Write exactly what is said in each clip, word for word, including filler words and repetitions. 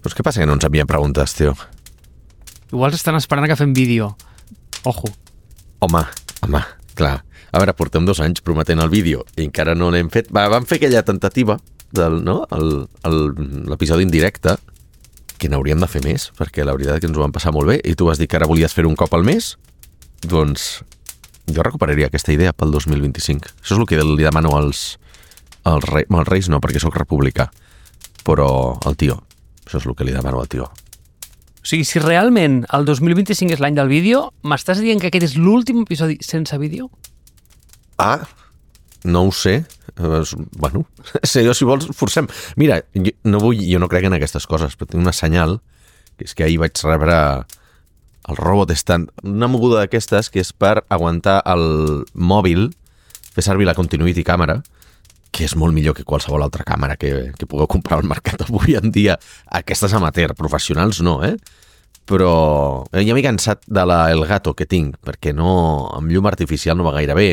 Però què passa que no ens envien preguntes, tio? Igual estan esperant que fem vídeo. Ojo. Home, home, clar. A veure, portem dos anys prometent el vídeo i encara no l'hem fet. Va, vam fer aquella tentativa del, no? el, el, l'episodi en directe, que n'hauríem de fer més, perquè la veritat és que ens ho vam passar molt bé, i tu vas dir que ara volies fer un cop al mes, doncs jo recuperaria aquesta idea pel dos mil vint-i-cinc. Això és el que li demano als, als, rei, als reis, no, perquè sóc republicà, però el tio, això és el que li demano al tio. O sigui, si realment el dos mil vint-i-cinc és l'any del vídeo, m'estàs dient que aquest és l'últim episodi sense vídeo? Ah, no ho sé. Bueno, si jo, si vols, forcem. Mira, jo no, vull, jo no crec en aquestes coses, però tinc una senyal, que és que ahir vaig rebre el Robot Stand, una moguda d'aquestes que és per aguantar el mòbil, fer servir la Continuity Càmera, que és molt millor que qualsevol altra càmera que, que pugueu comprar al mercat avui en dia. Aquestes amateur, professionals no, eh? Però ja m'he cansat de la Elgato que tinc, perquè no, amb llum artificial no va gaire bé.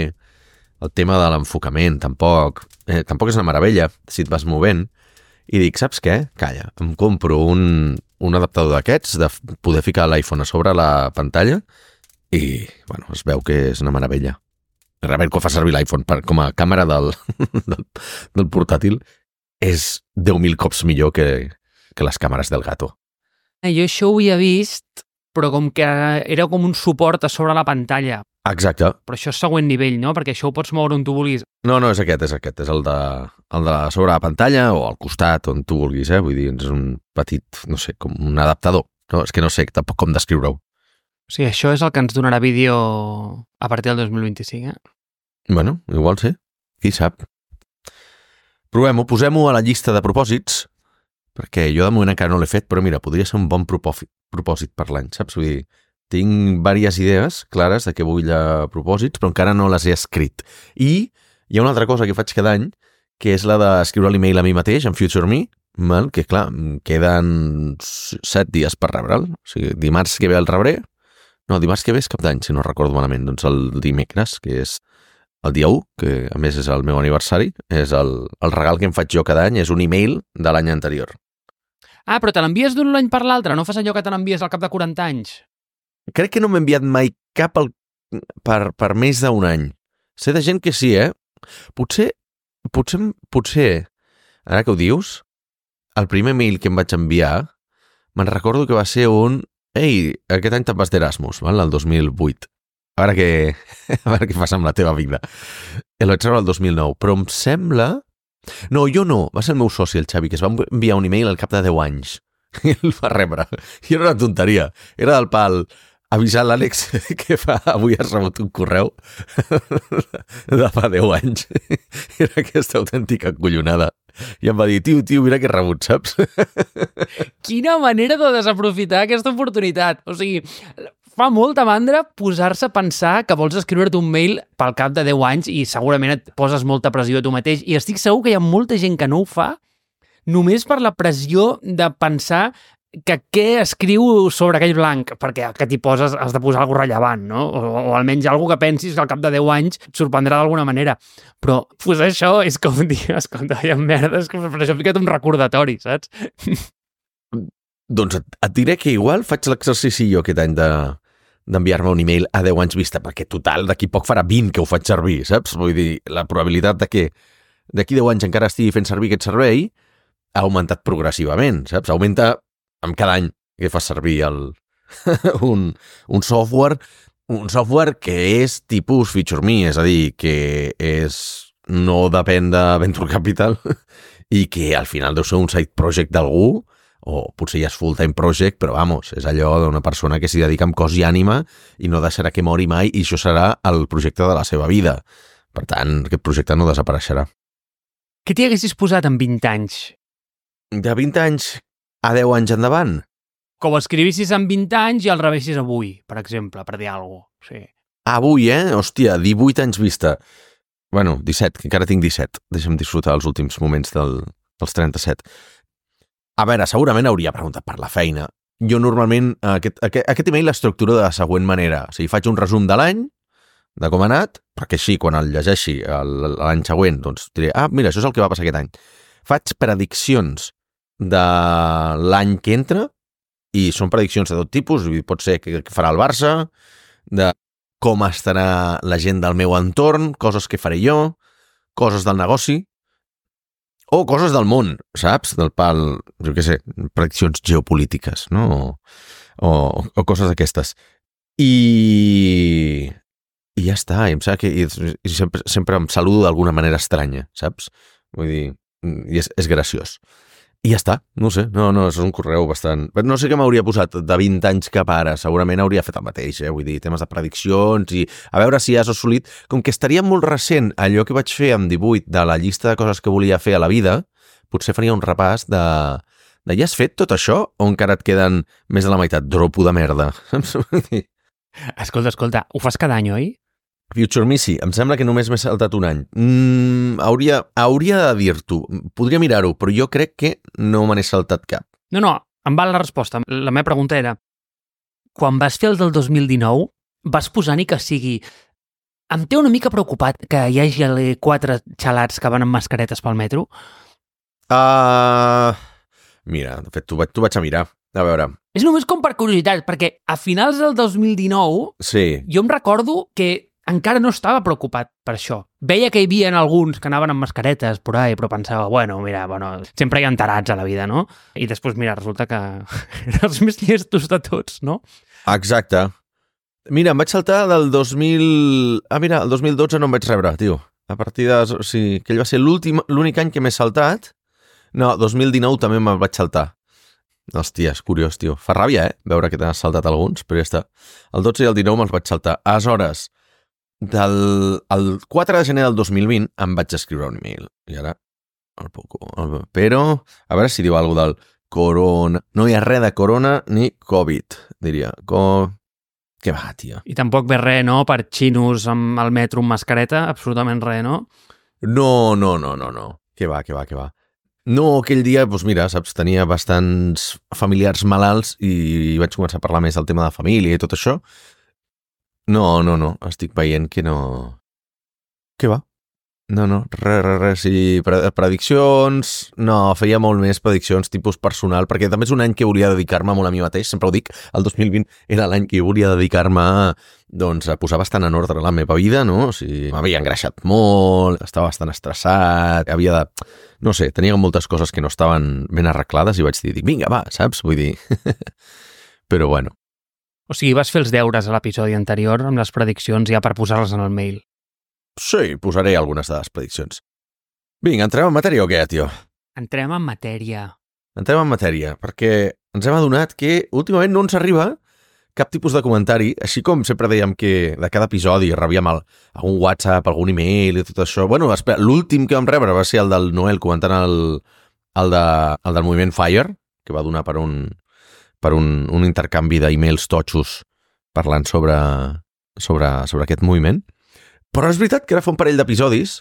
El tema de l'enfocament tampoc, eh, tampoc és una meravella si et vas movent, i dic, saps què? Calla, em compro un, un adaptador d'aquests, de poder ficar l'iPhone a sobre la pantalla, i bueno, es veu que és una meravella. Realment, quan fa servir l'iPhone per, com a càmera del, del, del portàtil, és deu mil cops millor que, que les càmeres del Gato. Jo això ho havia vist, però com que era com un suport a sobre la pantalla. Exacte. Però això és següent nivell, no? Perquè això ho pots moure on tu vulguis. No, no, és aquest, és aquest. És el de, el de sobre la pantalla o al costat, on tu vulguis, eh? Vull dir, és un petit, no sé, com un adaptador. No, és que no sé tampoc com descriure-ho. O sigui, això és el que ens donarà vídeo a partir del dos mil vint-i-cinc, eh? Bueno, igual sí. Qui sap? Provem-ho, posem-ho a la llista de propòsits, perquè jo de moment encara no l'he fet, però mira, podria ser un bon propòsit, propòsit per l'any, saps? Vull dir, tinc diverses idees clares de què vull a propòsits, però encara no les he escrit. I hi ha una altra cosa que faig cada any, que és la d'escriure l'email a mi mateix, en Future Me, mal, que clar, queden set dies per rebre'l. O sigui, dimarts que ve el rebré, no, dimarts que ve és cap d'any, si no recordo malament, doncs el dimecres, que és el dia u, que a més és el meu aniversari, és el, el regal que em faig jo cada any, és un email de l'any anterior. Ah, però te l'envies d'un any per l'altre, no fas allò que te l'envies al cap de quaranta anys? Crec que no m'he enviat mai cap al, per, per més d'un any. Sé de gent que sí, eh? Potser, potser, potser, ara que ho dius, el primer mail que em vaig enviar, me'n recordo que va ser un ei, aquest any te'n vas d'Erasmus, val? El dos mil vuit. A veure què, a veure què fas amb la teva vida. El vaig rebre el dos mil nou, però em sembla... No, jo no, va ser el meu soci, el Xavi, que es va enviar un email al cap de deu anys. I el va rebre. I era una tonteria. Era del pal avisar l'Àlex que fa, avui has rebut un correu de fa deu anys. Era aquesta autèntica collonada. I em va dir, tio, tio, mira que he rebut, saps? Quina manera de desaprofitar aquesta oportunitat. O sigui, fa molta mandra posar-se a pensar que vols escriure-te un mail pel cap de deu anys i segurament et poses molta pressió a tu mateix. I estic segur que hi ha molta gent que no ho fa només per la pressió de pensar que què escriu sobre aquell blanc, perquè que t'hi poses has de posar alguna rellevant, no? O, o almenys alguna que pensis que al cap de deu anys et sorprendrà d'alguna manera. Però posar això és com dir, escolta, hi ha merdes, que per això he ficat un recordatori, saps? Doncs et, et diré que igual faig l'exercici jo aquest any de d'enviar-me un email a deu anys vista, perquè total, d'aquí poc farà vint que ho faig servir, saps? Vull dir, la probabilitat de que d'aquí deu anys encara estigui fent servir aquest servei ha augmentat progressivament, saps? Augmenta amb cada any que fas servir el, un, un software, un software que és tipus Feature Me, és a dir, que és, no depèn de Venture Capital i que al final deu ser un side project d'algú, o potser ja és full-time project, però vamos, és allò d'una persona que s'hi dedica amb cos i ànima i no deixarà que mori mai i això serà el projecte de la seva vida. Per tant, aquest projecte no desapareixerà. Què t'hi haguessis posat en vint anys? De vint anys a deu anys endavant? Que ho escrivissis en vint anys i el rebessis avui, per exemple, per dir alguna cosa. Sí. Avui, eh? Hòstia, divuit anys vista. Bueno, disset, que encara tinc disset. Deixa'm disfrutar els últims moments del, dels trenta-set. A veure, segurament hauria preguntat per la feina. Jo normalment, aquest, aquest, aquest email l'estructuro de la següent manera. O sigui, faig un resum de l'any, de com ha anat, perquè així, quan el llegeixi l'any següent, doncs diré, ah, mira, això és el que va passar aquest any. Faig prediccions de l'any que entra i són prediccions de tot tipus, pot ser que farà el Barça, de com estarà la gent del meu entorn, coses que faré jo, coses del negoci, o coses del món, saps? Del pal, jo què sé, prediccions geopolítiques, no? O, o, o coses d'aquestes. I... I ja està, i em sembla que i, i sempre, sempre em saludo d'alguna manera estranya, saps? Vull dir, i és, és graciós. I ja està, no sé, no, no, és un correu bastant... No sé què m'hauria posat de vint anys cap ara, segurament hauria fet el mateix, eh? Vull dir, temes de prediccions i a veure si has assolit... Com que estaria molt recent allò que vaig fer amb divuit de la llista de coses que volia fer a la vida, potser faria un repàs de... de ja has fet tot això o encara et queden més de la meitat? Dropo de merda. Escolta, escolta, ho fas cada any, oi? Future Me sí, em sembla que només m'he saltat un any. Mm, hauria, hauria de dir-t'ho, podria mirar-ho, però jo crec que no me n'he saltat cap. No, no, em val la resposta. La meva pregunta era, quan vas fer el del dos mil dinou, vas posar ni que sigui... Em té una mica preocupat que hi hagi quatre xalats que van amb mascaretes pel metro? Uh, mira, de fet, t'ho vaig, t'ho vaig a mirar. A veure... És només com per curiositat, perquè a finals del dos mil dinou sí. Jo em recordo que encara no estava preocupat per això. Veia que hi havia alguns que anaven amb mascaretes por ahí, però pensava, bueno, mira, bueno, sempre hi ha tarats a la vida, no? I després, mira, resulta que eren els més llestos de tots, no? Exacte. Mira, em vaig saltar del dos mil... Ah, mira, el dos mil dotze no em vaig rebre, tio. A partir de... O sigui, que ell va ser l'últim, l'únic any que m'he saltat. No, dos mil dinou també me'l vaig saltar. Hòstia, és curiós, tio. Fa ràbia, eh? Veure que t'has saltat alguns, però ja està. El dotze i el dinou me'ls vaig saltar. Aleshores, del el quatre de gener del dos mil vint em vaig escriure un email. I ara, el poco... El, però, a veure si diu alguna del corona... No hi ha res de corona ni Covid, diria. Co... Què va, tio? I tampoc ve res, no?, per xinos amb el metro amb mascareta, absolutament res, no? No, no, no, no, no. Què va, què va, què va. No, aquell dia, doncs mira, saps, tenia bastants familiars malalts i vaig començar a parlar més del tema de família i tot això. No, no, no, estic veient que no... Què va? No, no, res, res, res, sí, prediccions... No, feia molt més prediccions tipus personal, perquè també és un any que volia dedicar-me molt a mi mateix, sempre ho dic, el dos mil vint era l'any que volia dedicar-me a, doncs, a posar bastant en ordre la meva vida, no? O sigui, m'havia engreixat molt, estava bastant estressat, havia de... No sé, tenia moltes coses que no estaven ben arreglades i vaig dir, vinga, va, saps? Vull dir... Però bueno. O sigui, vas fer els deures a l'episodi anterior amb les prediccions ja per posar-les en el mail. Sí, posaré algunes de les prediccions. Vinga, entrem en matèria o què, tio? Entrem en matèria. Entrem en matèria, perquè ens hem adonat que últimament no ens arriba cap tipus de comentari, així com sempre dèiem que de cada episodi rebíem el, algun WhatsApp, algun email i tot això. Bueno, espera, l'últim que vam rebre va ser el del Noel comentant el, el, de, el del moviment Fire, que va donar per un, per un, un intercanvi d'emails totxos parlant sobre, sobre, sobre aquest moviment. Però és veritat que ara fa un parell d'episodis,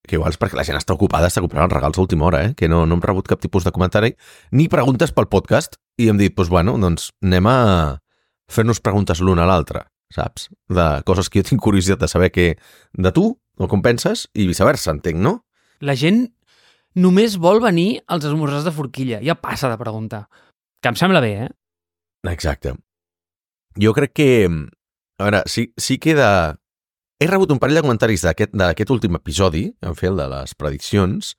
que igual és perquè la gent està ocupada, està comprant els regals a última hora, eh? Que no, no hem rebut cap tipus de comentari, ni preguntes pel podcast, i hem dit, doncs bueno, doncs anem a fer-nos preguntes l'un a l'altre, saps? De coses que jo tinc curiositat de saber que de tu, o com penses, i viceversa, entenc, no? La gent només vol venir als esmorzars de forquilla, ja passa de preguntar. Que em sembla bé, eh? Exacte. Jo crec que, a veure, sí, sí que de... He rebut un parell de comentaris d'aquest d'aquest últim episodi, en fer el de les prediccions,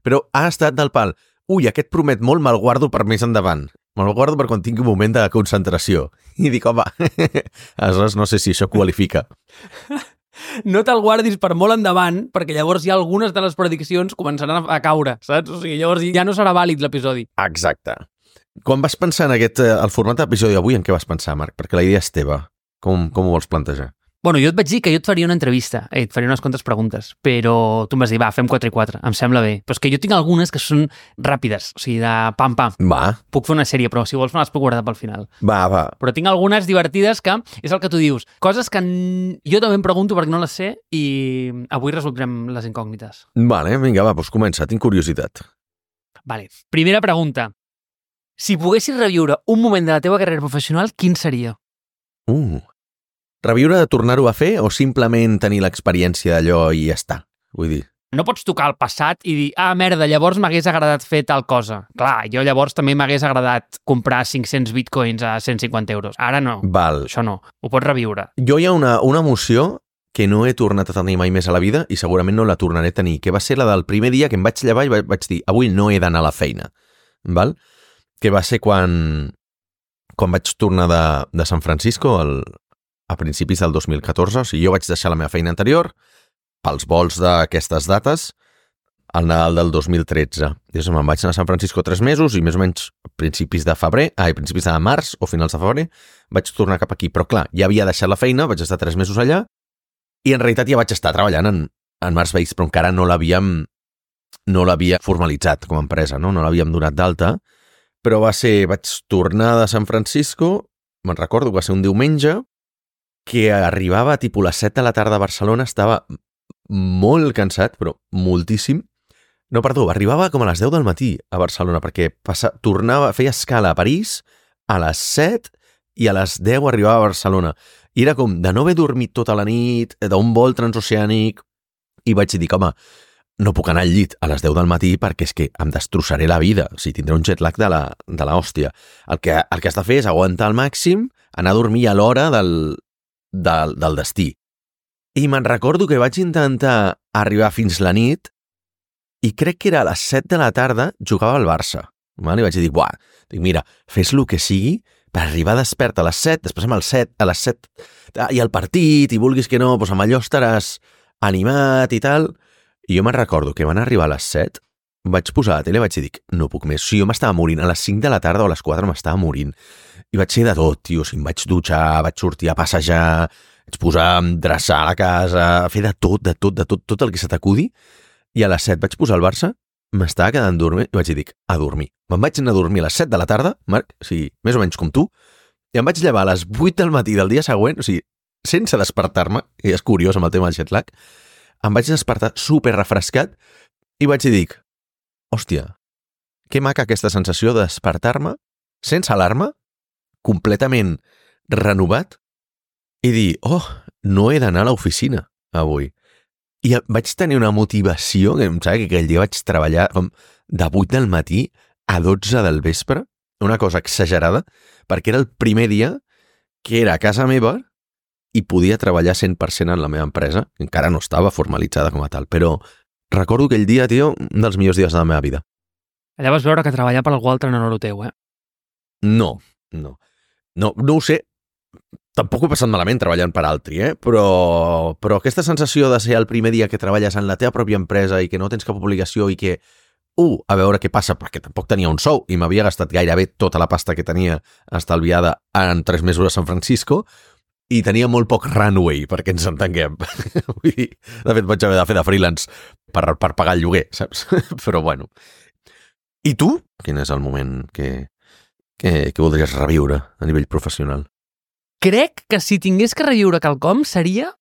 però ha estat del pal. Ui, aquest promet molt, me'l guardo per més endavant. Me'l guardo per quan tingui un moment de concentració. I dic, home, aleshores no sé si això qualifica. No te'l guardis per molt endavant, perquè llavors ja algunes de les prediccions començaran a caure, saps? O sigui, llavors ja no serà vàlid l'episodi. Exacte. Quan vas pensar en aquest, el format d'episodi d'avui, en què vas pensar, Marc? Perquè la idea és teva. Com, com ho vols plantejar? Bueno, jo et vaig dir que jo et faria una entrevista, eh, et faria unes quantes preguntes, però tu em vas dir, va, fem quatre i quatre, em sembla bé. Però és que jo tinc algunes que són ràpides, o sigui, de pam-pam. Va. Puc fer una sèrie, però si vols me les puc guardar pel final. Va, va. Però tinc algunes divertides que, és el que tu dius, coses que jo també em pregunto perquè no les sé i avui resoldrem les incògnites. Vale, vinga, va, doncs comença, tinc curiositat. Vale, primera pregunta. Si poguessis reviure un moment de la teva carrera professional, quin seria? Uh... Reviure de tornar-ho a fer o simplement tenir l'experiència d'allò i ja està? Vull dir, no pots tocar el passat i dir, ah, merda, llavors m'hagués agradat fer tal cosa. Clar, jo llavors també m'hagués agradat comprar cinc-cents bitcoins a cent cinquanta euros. Ara no. Val. Això no. Ho pots reviure. Jo hi ha una, una emoció que no he tornat a tenir mai més a la vida i segurament no la tornaré a tenir, que va ser la del primer dia que em vaig llevar i vaig dir, avui no he d'anar a la feina. Val? Que va ser quan, quan vaig tornar de, de San Francisco el, a principis del dos mil catorze. O sigui, jo vaig deixar la meva feina anterior pels vols d'aquestes dates al Nadal del dos mil tretze. Llavors me'n vaig anar a San Francisco tres mesos i més o menys a principis de febrer, ai, principis de març o finals de febrer, vaig tornar cap aquí. Però clar, ja havia deixat la feina, vaig estar tres mesos allà i en realitat ja vaig estar treballant en, en Mars Base, però encara no l'havíem no l'havia formalitzat com a empresa, no, no l'havíem donat d'alta, però va ser, vaig tornar de San Francisco, me'n recordo que va ser un diumenge, que arribava a tipus les set de la tarda a Barcelona, estava molt cansat, però moltíssim. No, perdó, arribava com a les deu del matí a Barcelona, perquè passa, tornava, feia escala a París a les set i a les deu arribava a Barcelona. I era com de no haver dormit tota la nit, d'un vol transoceànic, i vaig dir, home, no puc anar al llit a les deu del matí perquè és que em destrossaré la vida, o sigui, tindré un jet lag de la, de la hòstia. El que, el que has de fer és aguantar al màxim, anar a dormir a l'hora del, del, del destí. I me'n recordo que vaig intentar arribar fins la nit i crec que era a les set de la tarda jugava al Barça. Val? I vaig dir, buah, dic, mira, fes el que sigui per arribar despert a les set, després amb el set, a les set, i el partit, i vulguis que no, doncs amb allò estaràs animat i tal. I jo me'n recordo que van arribar a les set, vaig posar la tele i vaig dir, no puc més. O sigui, jo m'estava morint, a les cinc de la tarda o a les quatre m'estava morint. I vaig ser de tot, tio, o sigui, em vaig dutxar, vaig sortir a passejar, vaig posar a dreçar la casa, a fer de tot, de tot, de tot, tot el que se t'acudi. I a les set vaig posar el Barça, m'estava quedant dormir i vaig dir, a dormir. Me'n vaig anar a dormir a les set de la tarda, Marc, o sigui, més o menys com tu, i em vaig llevar a les vuit del matí del dia següent, o sigui, sense despertar-me, i és curiós amb el tema del jet lag, em vaig despertar super refrescat i vaig dir, hòstia, que maca aquesta sensació de despertar-me sense alarma, completament renovat, i dir, oh, no he d'anar a l'oficina avui. I vaig tenir una motivació, que em sap que aquell dia vaig treballar com de vuit del matí a dotze del vespre, una cosa exagerada, perquè era el primer dia que era a casa meva i podia treballar cent per cent en la meva empresa, encara no estava formalitzada com a tal, però recordo aquell dia, tio, un dels millors dies de la meva vida. Allà vas veure que treballar per algú altre no era el teu, eh? No, no. No, no ho sé. Tampoc ho he passat malament treballant per altri, eh? Però, però aquesta sensació de ser el primer dia que treballes en la teva pròpia empresa i que no tens cap obligació i que, uh, a veure què passa, perquè tampoc tenia un sou i m'havia gastat gairebé tota la pasta que tenia estalviada en tres mesos a San Francisco i tenia molt poc runway, perquè ens entenguem. Vull dir, de fet, vaig haver de fer de freelance per, per pagar el lloguer, saps? Però bueno. I tu? Quin és el moment que, que, que voldries reviure a nivell professional? Crec que si tingués que reviure quelcom seria...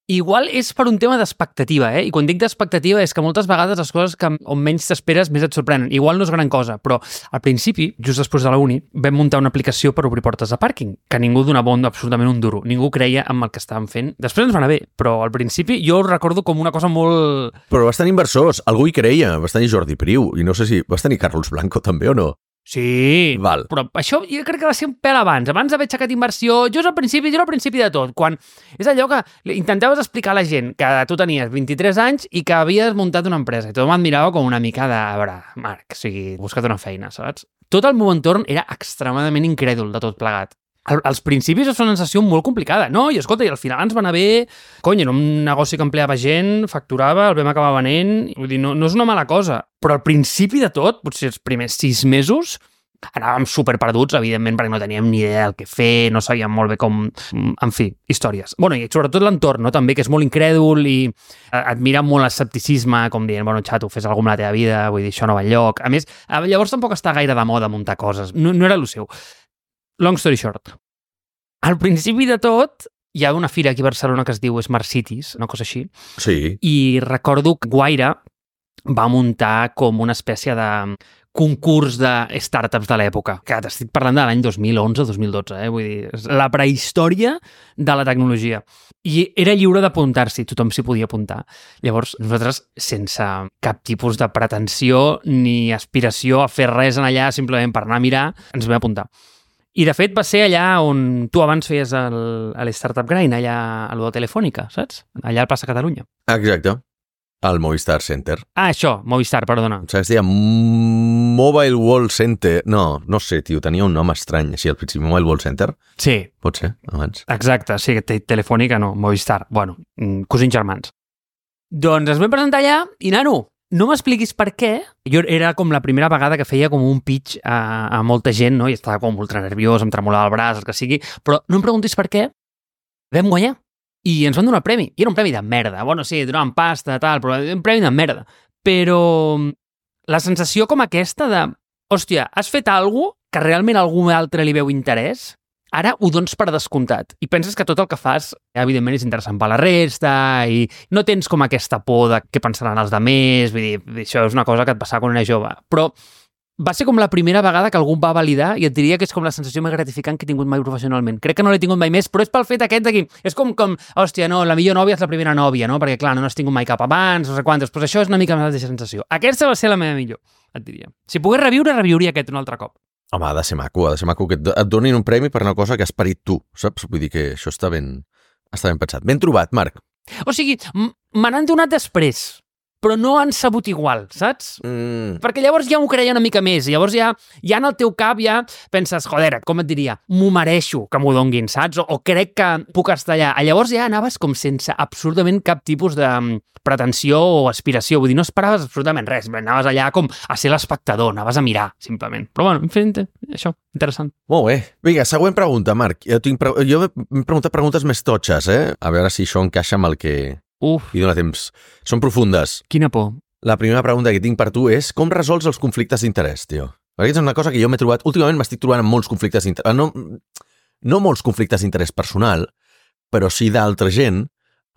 Igual és per un tema d'expectativa, eh? I quan dic d'expectativa és que moltes vegades les coses que on menys t'esperes més et sorprenen. Igual no és gran cosa, però al principi, just després de la uni, vam muntar una aplicació per obrir portes de pàrquing, que ningú donava un, absolutament un duro. Ningú creia en el que estàvem fent. Després ens va anar bé, però al principi jo ho recordo com una cosa molt... Però vas tenir inversors, algú hi creia, vas tenir Jordi Priu, i no sé si vas tenir Carlos Blanco també o no? Sí, Val. Però això jo crec que va ser un pèl abans, abans d'haver aixecat inversió, jo és al principi, jo al principi de tot, quan és allò que intentaves explicar a la gent que tu tenies vint-i-tres anys i que havies muntat una empresa, i tothom et mirava com una mica de, a veure, Marc, o sigui, busca't una feina, saps? Tot el meu entorn era extremadament incrèdul de tot plegat. Al, als principis és una sensació molt complicada, no? I escolta, i al final ens va anar bé, cony, era un negoci que empleava gent, facturava, el vam acabar venent, vull dir, no, no és una mala cosa, però al principi de tot, potser els primers sis mesos, anàvem superperduts, evidentment, perquè no teníem ni idea del que fer, no sabíem molt bé com... En fi, històries. Bueno, i sobretot l'entorn, no? També, que és molt incrèdul i et mira molt l'escepticisme, com dient, bueno, xato, fes alguna amb la teva vida, vull dir, això no va enlloc. A més, llavors tampoc està gaire de moda muntar coses, no, no era el seu. Long story short. Al principi de tot, hi ha una fira aquí a Barcelona que es diu Smart Cities, una cosa així. Sí. I recordo que Guaire va muntar com una espècie de concurs de startups de l'època, que t'estic parlant de l'any dos mil onze dos mil dotze, eh? Vull dir, és la prehistòria de la tecnologia. I era lliure d'apuntar-s'hi, tothom s'hi podia apuntar. Llavors, nosaltres, sense cap tipus de pretensió ni aspiració a fer res en allà, simplement per anar a mirar, ens vam apuntar. I, de fet, va ser allà on tu abans feies el, el Startup Grind, allà a lo de Telefònica, saps? Allà al Plaça Catalunya. Exacte. Al Movistar Center. Ah, això, Movistar, perdona. O sigui, es deia Mobile World Center. No, no sé, tio, tenia un nom estrany, així al principi. Mobile World Center? Sí. Pot ser, abans. Exacte, sí, Telefònica no, Movistar. Bueno, cosins germans. Doncs es vam presentar allà i, nano, no m'expliquis per què. Jo era com la primera vegada que feia com un pitch a, a molta gent, no? I estava com ultra nerviós, em tremolava el braç, el que sigui, però no em preguntis per què. Vam guanyar. I ens van donar el premi. I era un premi de merda. Bueno, sí, donaven pasta, tal, però un premi de merda. Però la sensació com aquesta de, hòstia, has fet alguna cosa que realment a algú altre li veu interès, ara ho dones per descomptat. I penses que tot el que fas, evidentment, és interessant per la resta i no tens com aquesta por de què pensaran els altres. Vull dir, això és una cosa que et passava quan era jove. Però va ser com la primera vegada que algú em va validar i et diria que és com la sensació més gratificant que he tingut mai professionalment. Crec que no l'he tingut mai més, però és pel fet aquest d'aquí. És com, com, hòstia, no, la millor nòvia és la primera nòvia, no? Perquè, clar, no n'has tingut mai cap abans, no sé quantes, però això és una mica més de sensació. Aquesta va ser la meva millor, et diria. Si pogués reviure, reviuria aquest un altre cop. Home, ha de ser maco, ha de ser maco que et donin un premi per una cosa que has parit tu, saps? Vull dir que això està ben, està ben pensat. Ben trobat, Marc. O sigui, me n'han donat després, però no han sabut igual, saps? Mm. Perquè llavors ja m'ho creia una mica més. Llavors ja, ja en el teu cap ja penses, joder, com et diria, m'ho mereixo que m'ho donguin, saps? O, o crec que puc estar allà. Llavors ja anaves com sense absolutament cap tipus de pretensió o aspiració. Vull dir, no esperaves absolutament res. Anaves allà com a ser l'espectador, anaves a mirar, simplement. Però bueno, en fi, això, interessant. Molt bé. Vinga, següent pregunta, Marc. Jo, tinc pre... jo m'he preguntat preguntes més totxes, eh? A veure si això encaixa amb el que... Uf. I dona temps. Són profundes. Quina por. La primera pregunta que tinc per tu és com resols els conflictes d'interès, tio? Perquè és una cosa que jo m'he trobat... Últimament m'estic trobant amb molts conflictes d'interès... No, no molts conflictes d'interès personal, però sí d'altra gent,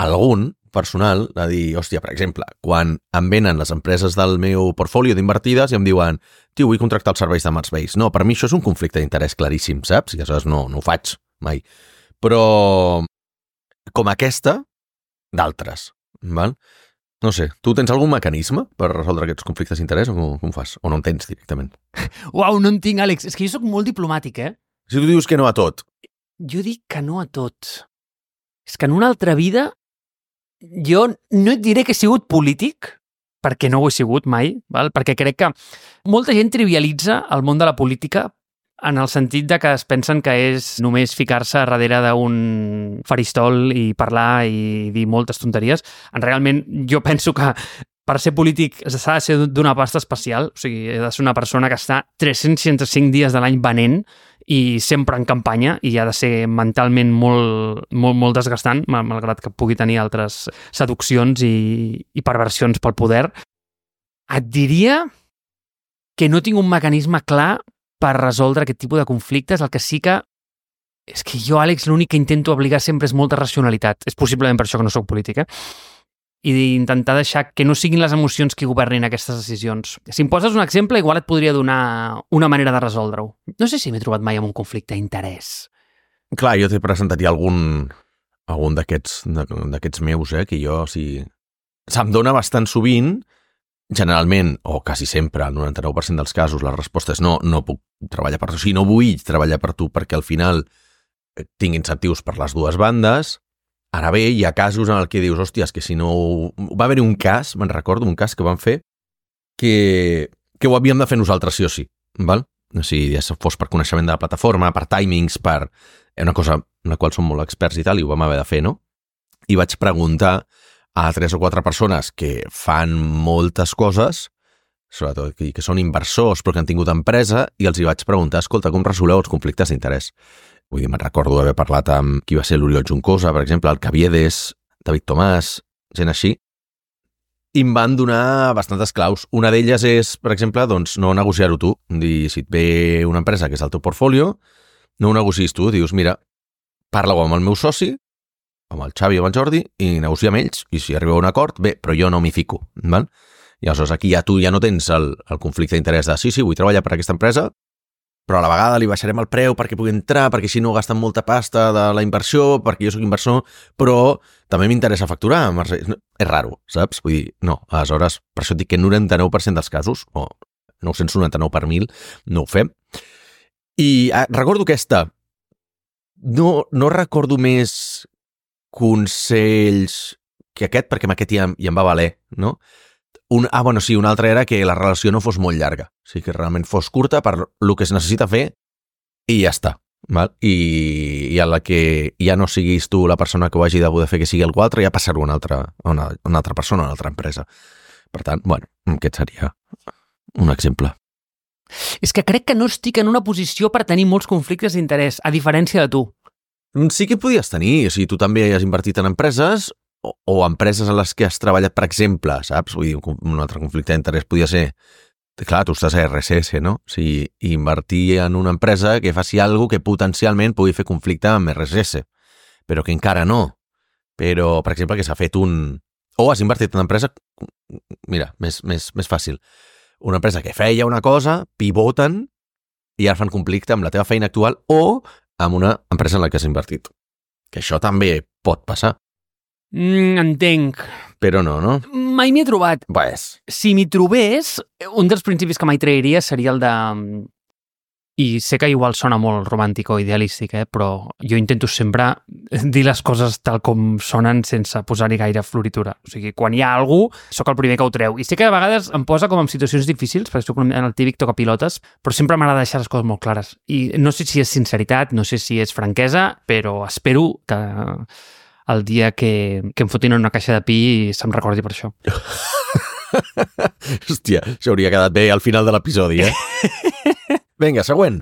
algun personal, de dir, hòstia, per exemple, quan em venen les empreses del meu portfolio d'invertides i em diuen, tio, vull contractar els serveis de Marsbase. No, per mi això és un conflicte d'interès claríssim, saps? I aleshores no, no ho faig mai. Però com aquesta, d'altres, val? No sé, tu tens algun mecanisme per resoldre aquests conflictes d'interès o com, com fas? O no en tens directament? Uau, no en tinc, Àlex. És que jo sóc molt diplomàtic, eh? Si tu dius que no a tot. Jo dic que no a tot. És que en una altra vida jo no et diré que he sigut polític, perquè no ho he sigut mai, val? Perquè crec que molta gent trivialitza el món de la política en el sentit de que es pensen que és només ficar-se darrere d'un faristol i parlar i dir moltes tonteries. En realment, jo penso que per ser polític s'ha de ser d'una pasta especial, o sigui, he de ser una persona que està tres-cents seixanta i cinc dies de l'any venent i sempre en campanya i ha de ser mentalment molt, molt, molt desgastant, malgrat que pugui tenir altres seduccions i, i perversions pel poder. Et diria que no tinc un mecanisme clar per resoldre aquest tipus de conflictes. El que sí que... És que jo, Àlex, l'únic que intento obligar sempre és molta racionalitat. És possiblement per això que no sóc polític, eh? I d'intentar deixar que no siguin les emocions qui governin aquestes decisions. Si em poses un exemple, igual et podria donar una manera de resoldre-ho. No sé si m'he trobat mai amb un conflicte d'interès. Clar, jo t'he presentat ja algun, algun d'aquests d'aquests meus, eh, que jo, si... Se'm dona bastant sovint, generalment, o quasi sempre, el noranta-nou per cent dels casos, la resposta és no, no puc treballar per tu, o sigui, no vull treballar per tu perquè al final tinc incentius per les dues bandes. Ara bé, hi ha casos en el que dius, hòstia, és que si no... Va haver-hi un cas, me'n recordo, un cas que van fer que, que ho havíem de fer nosaltres sí o sí, val? O sigui, ja fos per coneixement de la plataforma, per timings, per... una cosa en la qual som molt experts i tal, i ho vam haver de fer, no? I vaig preguntar a tres o quatre persones que fan moltes coses, sobretot que, que són inversors però que han tingut empresa, i els hi vaig preguntar, escolta, com resoleu els conflictes d'interès? Vull dir, me'n recordo haver parlat amb qui va ser l'Oriol Juncosa, per exemple, el Caviedes, David Tomàs, gent així, i em van donar bastantes claus. Una d'elles és, per exemple, doncs, no negociar-ho tu. Dir, si et ve una empresa que és el teu portfolio, no ho negocis tu, dius, mira, parla-ho amb el meu soci, amb el Xavi o amb el Jordi, i negocia amb ells, i si arribeu a un acord, bé, però jo no m'hi fico, val? I aleshores aquí ja tu ja no tens el, el conflicte d'interès de sí, sí, vull treballar per aquesta empresa, però a la vegada li baixarem el preu perquè pugui entrar, perquè així no gasten molta pasta de la inversió, perquè jo sóc inversor, però també m'interessa facturar. És raro, saps? Vull dir, no, aleshores, per això et dic que noranta-nou per cent dels casos, o nou-cents noranta-nou per mil, no ho fem. I ah, recordo aquesta. No, no recordo més consells que aquest, perquè amb aquest ja, ja em va valer, no? Un, ah, bueno, sí, un altre era que la relació no fos molt llarga. O sigui, que realment fos curta per el que es necessita fer i ja està. Val? I, i a la que ja no siguis tu la persona que ho hagi de poder fer que sigui algú altre, ja passar-ho a una altra, a una, una altra persona, a una altra empresa. Per tant, bueno, aquest seria un exemple. És que crec que no estic en una posició per tenir molts conflictes d'interès, a diferència de tu. Sí que podies tenir, o sigui, tu també has invertit en empreses o, o empreses en les que has treballat, per exemple, saps? Vull dir, un altre conflicte d'interès podia ser, clar, tu estàs a R S S, no? O sigui, invertir en una empresa que faci alguna que potencialment pugui fer conflicte amb R S S, però que encara no. Però, per exemple, que s'ha fet un... O has invertit en una empresa... Mira, més, més, més fàcil. Una empresa que feia una cosa, pivoten i ara fan conflicte amb la teva feina actual o amb una empresa en la que has invertit. Que això també pot passar. Mm, entenc. Però no, no? Mai m'hi he trobat. Pues. Si m'hi trobés, un dels principis que mai trairia seria el de... I sé que igual sona molt romàntic o idealístic, eh? Però jo intento sempre dir les coses tal com sonen sense posar-hi gaire floritura. O sigui, quan hi ha algú, sóc el primer que ho treu. I sé que a vegades em posa com en situacions difícils, perquè soc en el típic tocapilotes, però sempre m'agrada deixar les coses molt clares. I no sé si és sinceritat, no sé si és franquesa, però espero que el dia que, que em fotin en una caixa de pi se'm recordi per això. Hòstia, això hauria quedat bé al final de l'episodi, eh? Vinga, següent.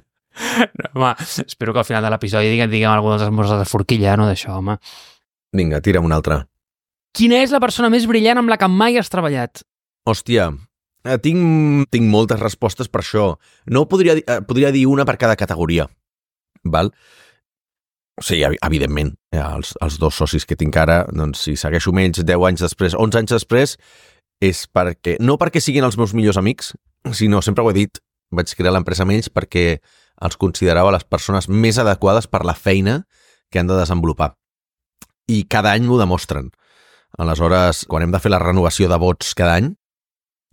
No, home, espero que al final de l'episodi diguem, diguem alguna dels esmorzars de forquilla, no d'això, home. Vinga, tira'm una altra. Quina és la persona més brillant amb la que mai has treballat? Hòstia, tinc, tinc moltes respostes per això. No podria, podria dir una per cada categoria, val? Sí, evidentment, els, els dos socis que tinc ara, doncs si segueixo amb ells deu anys després, onze anys després, és perquè, no perquè siguin els meus millors amics, sinó, sempre ho he dit, vaig crear l'empresa amb ells perquè els considerava les persones més adequades per la feina que han de desenvolupar. I cada any m'ho demostren. Aleshores, quan hem de fer la renovació de vots cada any,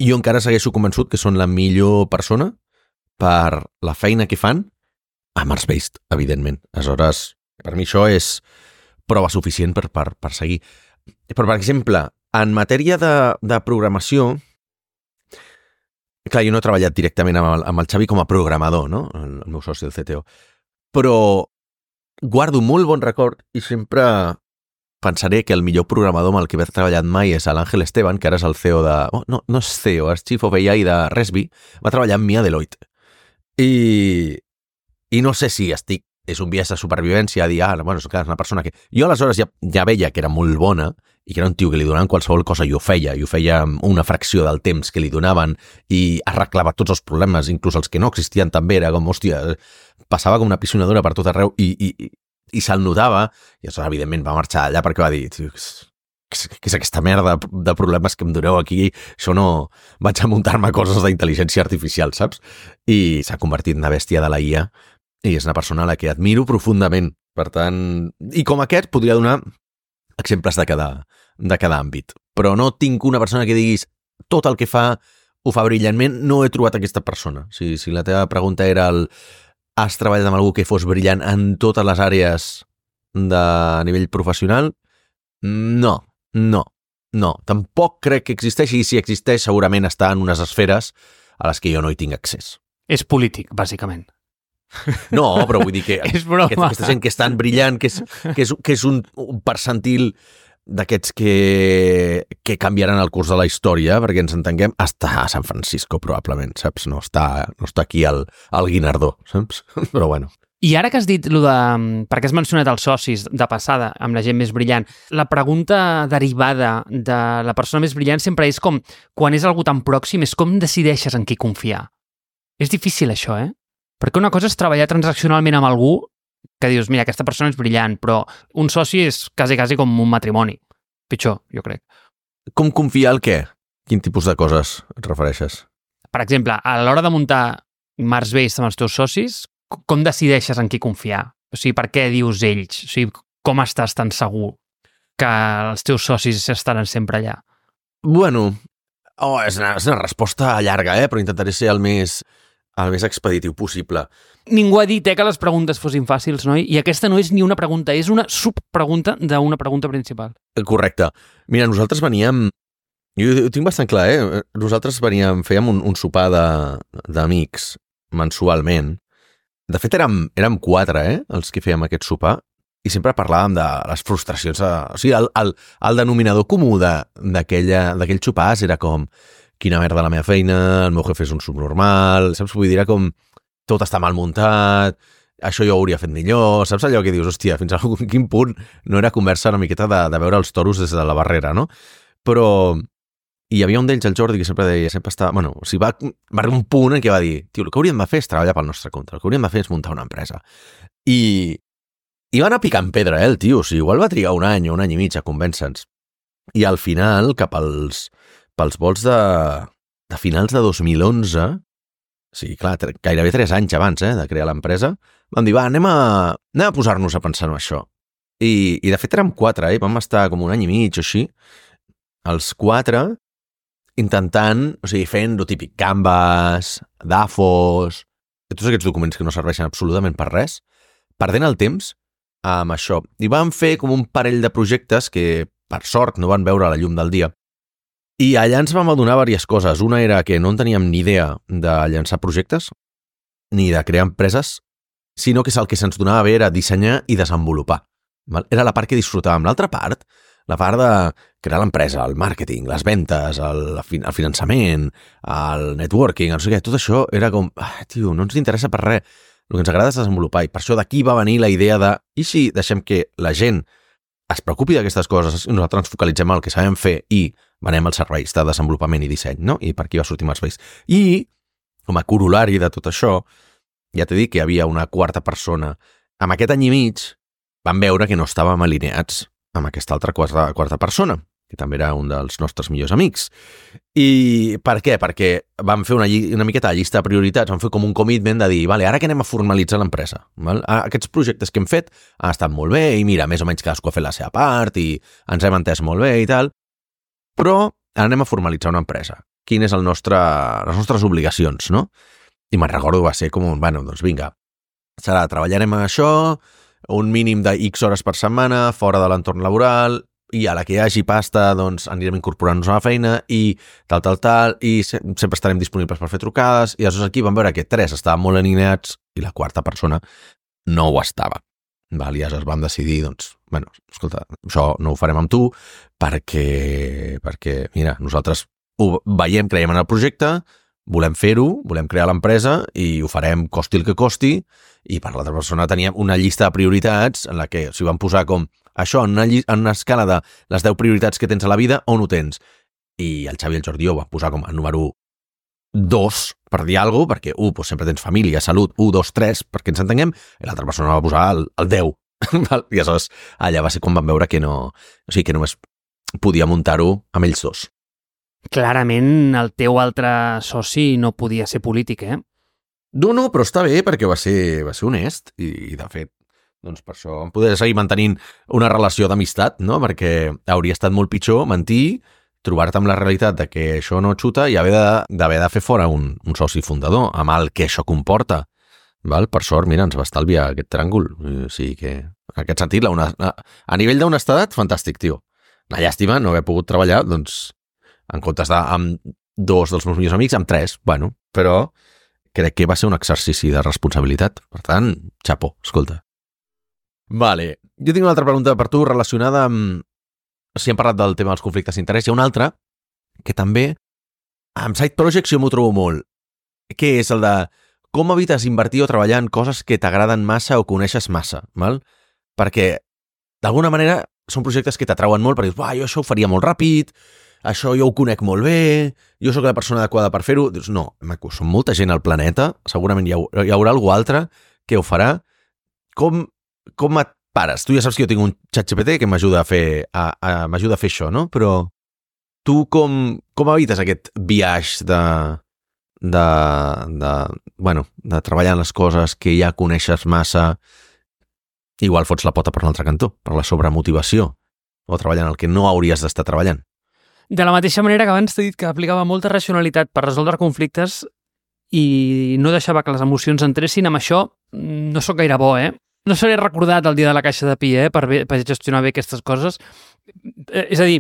jo encara segueixo convençut que són la millor persona per la feina que fan a Mars-based, evidentment. Aleshores, per mi això és prova suficient per, per, per seguir. Però, per exemple, en matèria de, de programació, clar, jo no he treballat directament amb el, amb el Xavi com a programador, no? El, el meu soci, el C T O. Però guardo molt bon record i sempre pensaré que el millor programador amb el que he treballat mai és l'Àngel Esteban, que ara és el C E O de... Oh, no, no és C E O, és Chief of A I de Resby. Va treballar amb mi a Deloitte. I, i no sé si estic... És un viatge de supervivència a dir, ah, bueno, és una persona que... Jo aleshores ja, ja veia que era molt bona i que era un tio que li donaven qualsevol cosa i ho feia, i ho feia una fracció del temps que li donaven i arreglava tots els problemes, inclús els que no existien també, era com, hòstia, passava com una pisonadora per tot arreu i, i, i, i se'l notava, i això evidentment va marxar allà perquè va dir, tio, què és aquesta merda de problemes que em doneu aquí, això no... Vaig a muntar-me coses d'intel·ligència artificial, saps? I s'ha convertit en una bèstia de la I A i és una persona a la que admiro profundament. Per tant, i com aquest podria donar exemples de cada, de cada àmbit. Però no tinc una persona que diguis tot el que fa ho fa brillantment, no he trobat aquesta persona. Si, si la teva pregunta era el has treballat amb algú que fos brillant en totes les àrees de nivell professional? No, no, no. Tampoc crec que existeixi, i si existeix segurament està en unes esferes a les que jo no hi tinc accés. És polític, bàsicament. No, però vull dir que és broma. Aquesta gent que és tan brillant, que és, que és, que és un, un percentil d'aquests que, que canviaran el curs de la història, perquè ens entenguem, està a San Francisco, probablement, saps? No està, no està aquí al, al Guinardó, saps? Però bueno. I ara que has dit, lo de, perquè has mencionat els socis de passada, amb la gent més brillant, la pregunta derivada de la persona més brillant sempre és com, quan és algú tan pròxim, és com decideixes en qui confiar. És difícil això, eh? Perquè una cosa és treballar transaccionalment amb algú que dius, mira, aquesta persona és brillant, però un soci és quasi, quasi com un matrimoni. Pitjor, jo crec. Com confiar el què? quin tipus de coses et refereixes? Per exemple, a l'hora de muntar Mars Base amb els teus socis, com decideixes en qui confiar? O sigui, per què dius ells? O sigui, com estàs tan segur que els teus socis estaran sempre allà? Bueno, oh, és, una, és una resposta llarga, eh? Però intentaré ser el més, el més expeditiu possible. Ningú ha dit eh, que les preguntes fossin fàcils, no? I aquesta no és ni una pregunta, és una subpregunta d'una pregunta principal. Correcte. Mira, nosaltres veníem... Jo ho tinc bastant clar, eh? Nosaltres veníem, fèiem un, un sopar d'amics mensualment. De fet, érem, érem quatre, eh? Els que fèiem aquest sopar. I sempre parlàvem de les frustracions. De, o sigui, el, el, el denominador comú d'aquell xopàs era com quina merda la meva feina, el meu jefe és un subnormal, saps? Vull dir, era com tot està mal muntat, això jo ho hauria fet millor, saps allò que dius, hòstia, fins a quin punt no era conversa una miqueta de, de veure els toros des de la barrera, no? Però hi havia un d'ells, el Jordi, que sempre deia, sempre estava... Bueno, o sigui, va, va arribar un punt en què va dir, tio, el que hauríem de fer és treballar pel nostre compte, el que hauríem de fer és muntar una empresa. I... I va anar picant pedra, eh, el tio. O sigui, igual va trigar un any o un any i mig a convèncer-nos. I al final, cap als, pels vols de, de finals de dos mil onze, o sigui, clar, gairebé tres anys abans eh, de crear l'empresa, vam dir, va, anem a, anem a posar-nos a pensar en això. I, I de fet érem quatre, eh? Vam estar com un any i mig o així, els quatre, intentant, o sigui, fent lo típic Canvas, Dafos, tots aquests documents que no serveixen absolutament per res, perdent el temps amb això. I vam fer com un parell de projectes que, per sort, no van veure la llum del dia. I allà ens vam adonar diverses coses. Una era que no en teníem ni idea de llançar projectes, ni de crear empreses, sinó que el que se'ns donava bé era dissenyar i desenvolupar. Era la part que disfrutàvem. L'altra part, la part de crear l'empresa, el màrqueting, les ventes, el, el finançament, el networking, no sé què, tot això era com, ah, tio, no ens interessa per res. El que ens agrada és desenvolupar, i per això d'aquí va venir la idea de i si deixem que la gent es preocupi d'aquestes coses i nosaltres ens focalitzem en el que sabem fer i venem els serveis de desenvolupament i disseny, no? I per aquí va sortir Mars Base. I, com a corolari de tot això, ja t'he dit que hi havia una quarta persona. Amb aquest any i mig vam veure que no estàvem alineats amb aquesta altra quarta, quarta persona, que també era un dels nostres millors amics. I per què? Perquè vam fer una, una miqueta de llista de prioritats, vam fer com un commitment de dir, vale, ara que anem a formalitzar l'empresa. Aquests projectes que hem fet han estat molt bé i mira, més o menys cadascú ha fet la seva part i ens hem entès molt bé i tal, però ara anem a formalitzar una empresa. Quines és el nostre, les nostres obligacions, no? I me'n recordo va ser com, bueno, doncs vinga, serà, treballarem en això, un mínim de X hores per setmana, fora de l'entorn laboral, i a la que hi hagi pasta, doncs anirem incorporant-nos a la feina i tal, tal, tal, i se sempre estarem disponibles per fer trucades, i aleshores aquí vam veure que tres estaven molt alineats i la quarta persona no ho estava. Val? I aleshores vam decidir, doncs, bueno, escolta, això no ho farem amb tu perquè, perquè mira, nosaltres ho veiem, creiem en el projecte, volem fer-ho, volem crear l'empresa i ho farem costi el que costi, i per l'altra persona teníem una llista de prioritats en la que s'hi van posar com això en una, en una escala de les deu prioritats que tens a la vida, on ho tens? I el Xavi i el Jordi ho va posar com a número dos, per dir alguna cosa, perquè u, doncs sempre tens família, salut, u, dos, tres, perquè ens entenguem, i l'altra persona va posar el, el deu. I aleshores allà va ser quan vam veure que no, o sigui, que només podia muntar-ho amb ells dos. Clarament el teu altre soci no podia ser polític, eh? No, no, però està bé perquè va ser, va ser honest i, i de fet, doncs per això vam poder seguir mantenint una relació d'amistat, no? Perquè hauria estat molt pitjor mentir, trobar-te amb la realitat de que això no xuta i haver de, d'haver de fer fora un, un soci fundador, amb el que això comporta. Val? Per sort, mira, ens va estalviar aquest tràngol. O sigui que, en aquest sentit, la una, a nivell d'honestedat, fantàstic, tio. Una llàstima no haver pogut treballar, doncs, en comptes d'estar amb dos dels meus millors amics, amb tres, bueno, però crec que va ser un exercici de responsabilitat. Per tant, xapó, escolta. Vale, jo tinc una altra pregunta per tu relacionada amb... Si hem parlat del tema dels conflictes d'interès, hi ha una altra que també amb side projects jo m'ho trobo molt, que és el de com evites invertir o treballar en coses que t'agraden massa o coneixes massa, val? Perquè d'alguna manera són projectes que t'atrauen molt perquè dius, uah, jo això ho faria molt ràpid, això jo ho conec molt bé, jo sóc la persona adequada per fer-ho. Dius, no, maco, són molta gent al planeta, segurament hi, ha, hi haurà algú altre que ho farà. Com, com et pares? Tu ja saps que jo tinc un ChatGPT que m'ajuda a fer, a, a, m'ajuda a fer això, no? Però tu com, com evites aquest viatge de, de, de, bueno, de treballar en les coses que ja coneixes massa, igual fots la pota per l'altre cantó, per la sobremotivació, o treballant el que no hauries d'estar treballant? De la mateixa manera que abans t'he dit que aplicava molta racionalitat per resoldre conflictes i no deixava que les emocions entressin, amb això no sóc gaire bo, eh? No seré recordat el dia de la caixa de pi, eh? Per, bé, per gestionar bé aquestes coses. És a dir,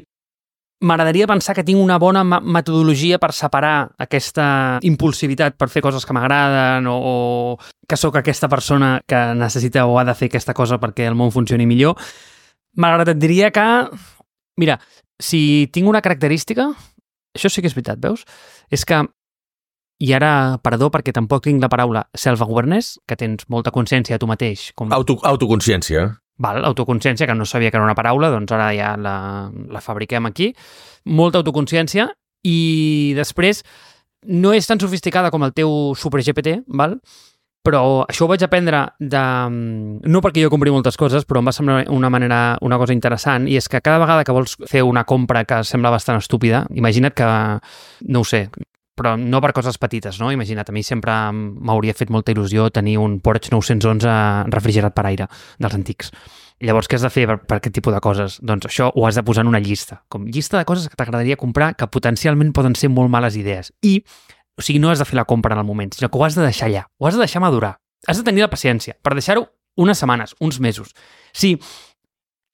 m'agradaria pensar que tinc una bona metodologia per separar aquesta impulsivitat per fer coses que m'agraden o, o que sóc aquesta persona que necessita o ha de fer aquesta cosa perquè el món funcioni millor. Malgrat et diria que, mira, si tinc una característica, això sí que és veritat, veus? És que, i ara, perdó, perquè tampoc tinc la paraula self-awareness, que tens molta consciència de tu mateix. Com... Auto, autoconsciència. Val, autoconsciència, que no sabia que era una paraula, doncs ara ja la, la fabriquem aquí. Molta autoconsciència i després no és tan sofisticada com el teu super G P T, val? Però això ho vaig aprendre de... no perquè jo compri moltes coses, però em va semblar una manera, una cosa interessant, i és que cada vegada que vols fer una compra que sembla bastant estúpida, imagina't que, no ho sé, però no per coses petites, no? Imagina't, a mi sempre m'hauria fet molta il·lusió tenir un Porsche nou-cents onze refrigerat per aire, dels antics. Llavors, què has de fer per, per aquest tipus de coses? Doncs això ho has de posar en una llista, com llista de coses que t'agradaria comprar que potencialment poden ser molt males idees. I o sigui, no has de fer la compra en el moment, sinó que ho has de deixar allà, ho has de deixar madurar. Has de tenir la paciència per deixar-ho unes setmanes, uns mesos. Si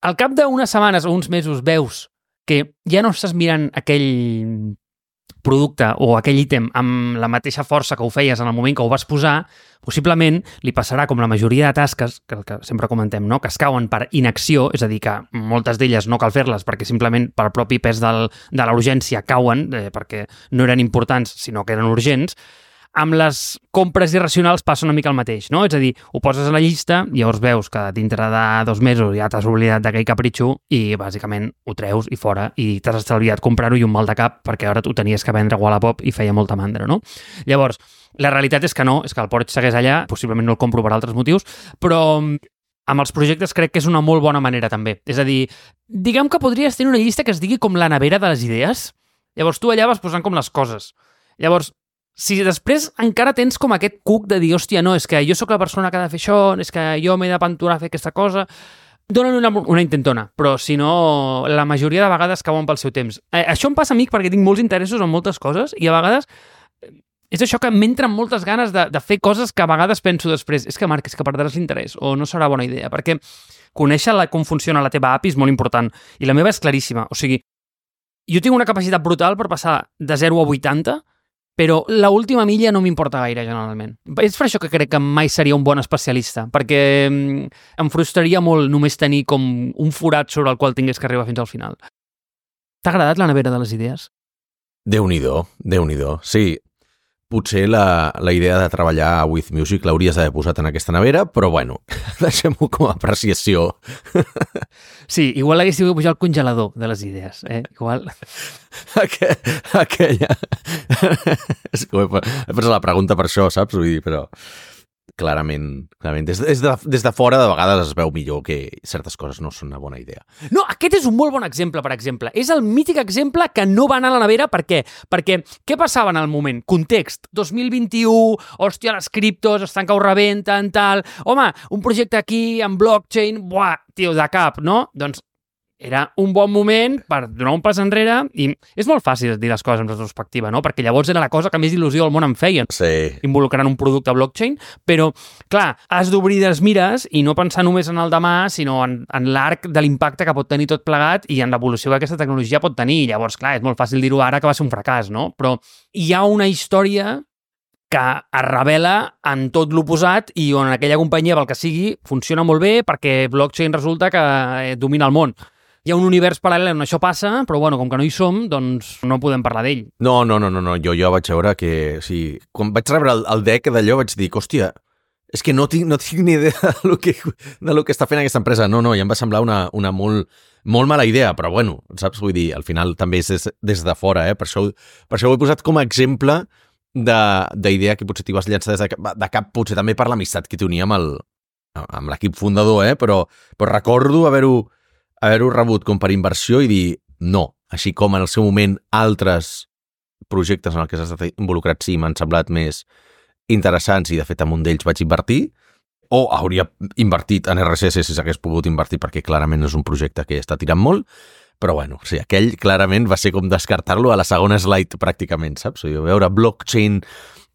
al cap d'unes setmanes o uns mesos veus que ja no estàs mirant aquell producte o aquell ítem amb la mateixa força que ho feies en el moment que ho vas posar, possiblement li passarà com la majoria de tasques, que, que sempre comentem, no? Que es cauen per inacció, és a dir, que moltes d'elles no cal fer-les perquè simplement pel propi pes del, de la urgència cauen, eh, perquè no eren importants, sinó que eren urgents. Amb les compres irracionals passa una mica el mateix, no? És a dir, ho poses a la llista i llavors veus que dintre de dos mesos ja t'has oblidat d'aquell capritxo i bàsicament ho treus i fora i t'has estalviat comprar-ho i un mal de cap perquè ara tu tenies que vendre a Wallapop i feia molta mandra, no? Llavors, la realitat és que no, és que el Porsche segueix allà, possiblement no el compro per altres motius, però amb els projectes crec que és una molt bona manera també. És a dir, diguem que podries tenir una llista que es digui com la nevera de les idees. Llavors tu allà vas posant com les coses. Llavors, si després encara tens com aquest cuc de dir, hòstia, no, és que jo sóc la persona que ha de fer això, és que jo m'he d'aventurar a fer aquesta cosa, donen una, una intentona, però si no, la majoria de vegades cauen pel seu temps. Eh, això em passa a mi perquè tinc molts interessos en moltes coses i a vegades és això que m'entren moltes ganes de, de fer coses que a vegades penso després, és que Marc, és que perdràs l'interès o no serà bona idea, perquè conèixer la, com funciona la teva A P I és molt important i la meva és claríssima, o sigui, jo tinc una capacitat brutal per passar de zero a vuitanta, però l'última milla no m'importa gaire, generalment. És per això que crec que mai seria un bon especialista, perquè em frustraria molt només tenir com un forat sobre el qual tingués que arribar fins al final. T'ha agradat la nevera de les idees? Déu-n'hi-do, Déu-n'hi-do. Sí, potser la, la idea de treballar a With Music l'hauries d'haver posat en aquesta nevera, però bueno, deixem-ho com a apreciació. Sí, igual l'haguéssiu de pujar al congelador de les idees, eh? Igual... Aqu aquella... És que he posat la pregunta per això, saps? Vull dir, però clarament, clarament des, des, de, des de fora de vegades es veu millor que certes coses no són una bona idea. No, aquest és un molt bon exemple, per exemple. És el mític exemple que no va anar a la nevera. Per què? Perquè què passava en el moment? Context. dos mil vint-i-u, hòstia, les criptos estan que ho rebenten, tal... Home, un projecte aquí, en blockchain, buah, tio, de cap, no? Doncs era un bon moment per donar un pas enrere i és molt fàcil dir les coses en retrospectiva, no? Perquè llavors era la cosa que més il·lusió al món em feien. Sí. Involucrant un producte blockchain, però, clar, has d'obrir les mires i no pensar només en el demà, sinó en, en l'arc de l'impacte que pot tenir tot plegat i en l'evolució que aquesta tecnologia pot tenir. Llavors, clar, és molt fàcil dir-ho ara que va ser un fracàs, no? Però hi ha una història que es revela en tot l'oposat i on aquella companyia, pel que sigui, funciona molt bé perquè blockchain resulta que domina el món. Hi ha un univers paral·lel on això passa, però bueno, com que no hi som, doncs no podem parlar d'ell. No, no, no, no, no. Jo, jo vaig veure que... Sí, quan vaig rebre el, el deck d'allò vaig dir, hòstia, és que no tinc, no tinc ni idea de lo, que, de lo que està fent aquesta empresa. No, no, ja em va semblar una, una molt, molt mala idea, però bueno, saps? Vull dir, al final també és des, des de fora, eh? Per això, per això ho he posat com a exemple d'idea que potser t'hi vas llançar des de, de cap, potser també per l'amistat que tenia amb el, amb l'equip fundador, eh? Però, però recordo haver-ho haver-ho rebut com per inversió i dir, no. Així com en el seu moment altres projectes en els que s'ha estat involucrat sí m'han semblat més interessants i de fet en un d'ells vaig invertir, o hauria invertit en R S S si s'hagués pogut invertir perquè clarament és un projecte que està tirant molt, però bueno, o sigui, aquell clarament va ser com descartar-lo a la segona slide pràcticament, saps? O sigui, veure blockchain,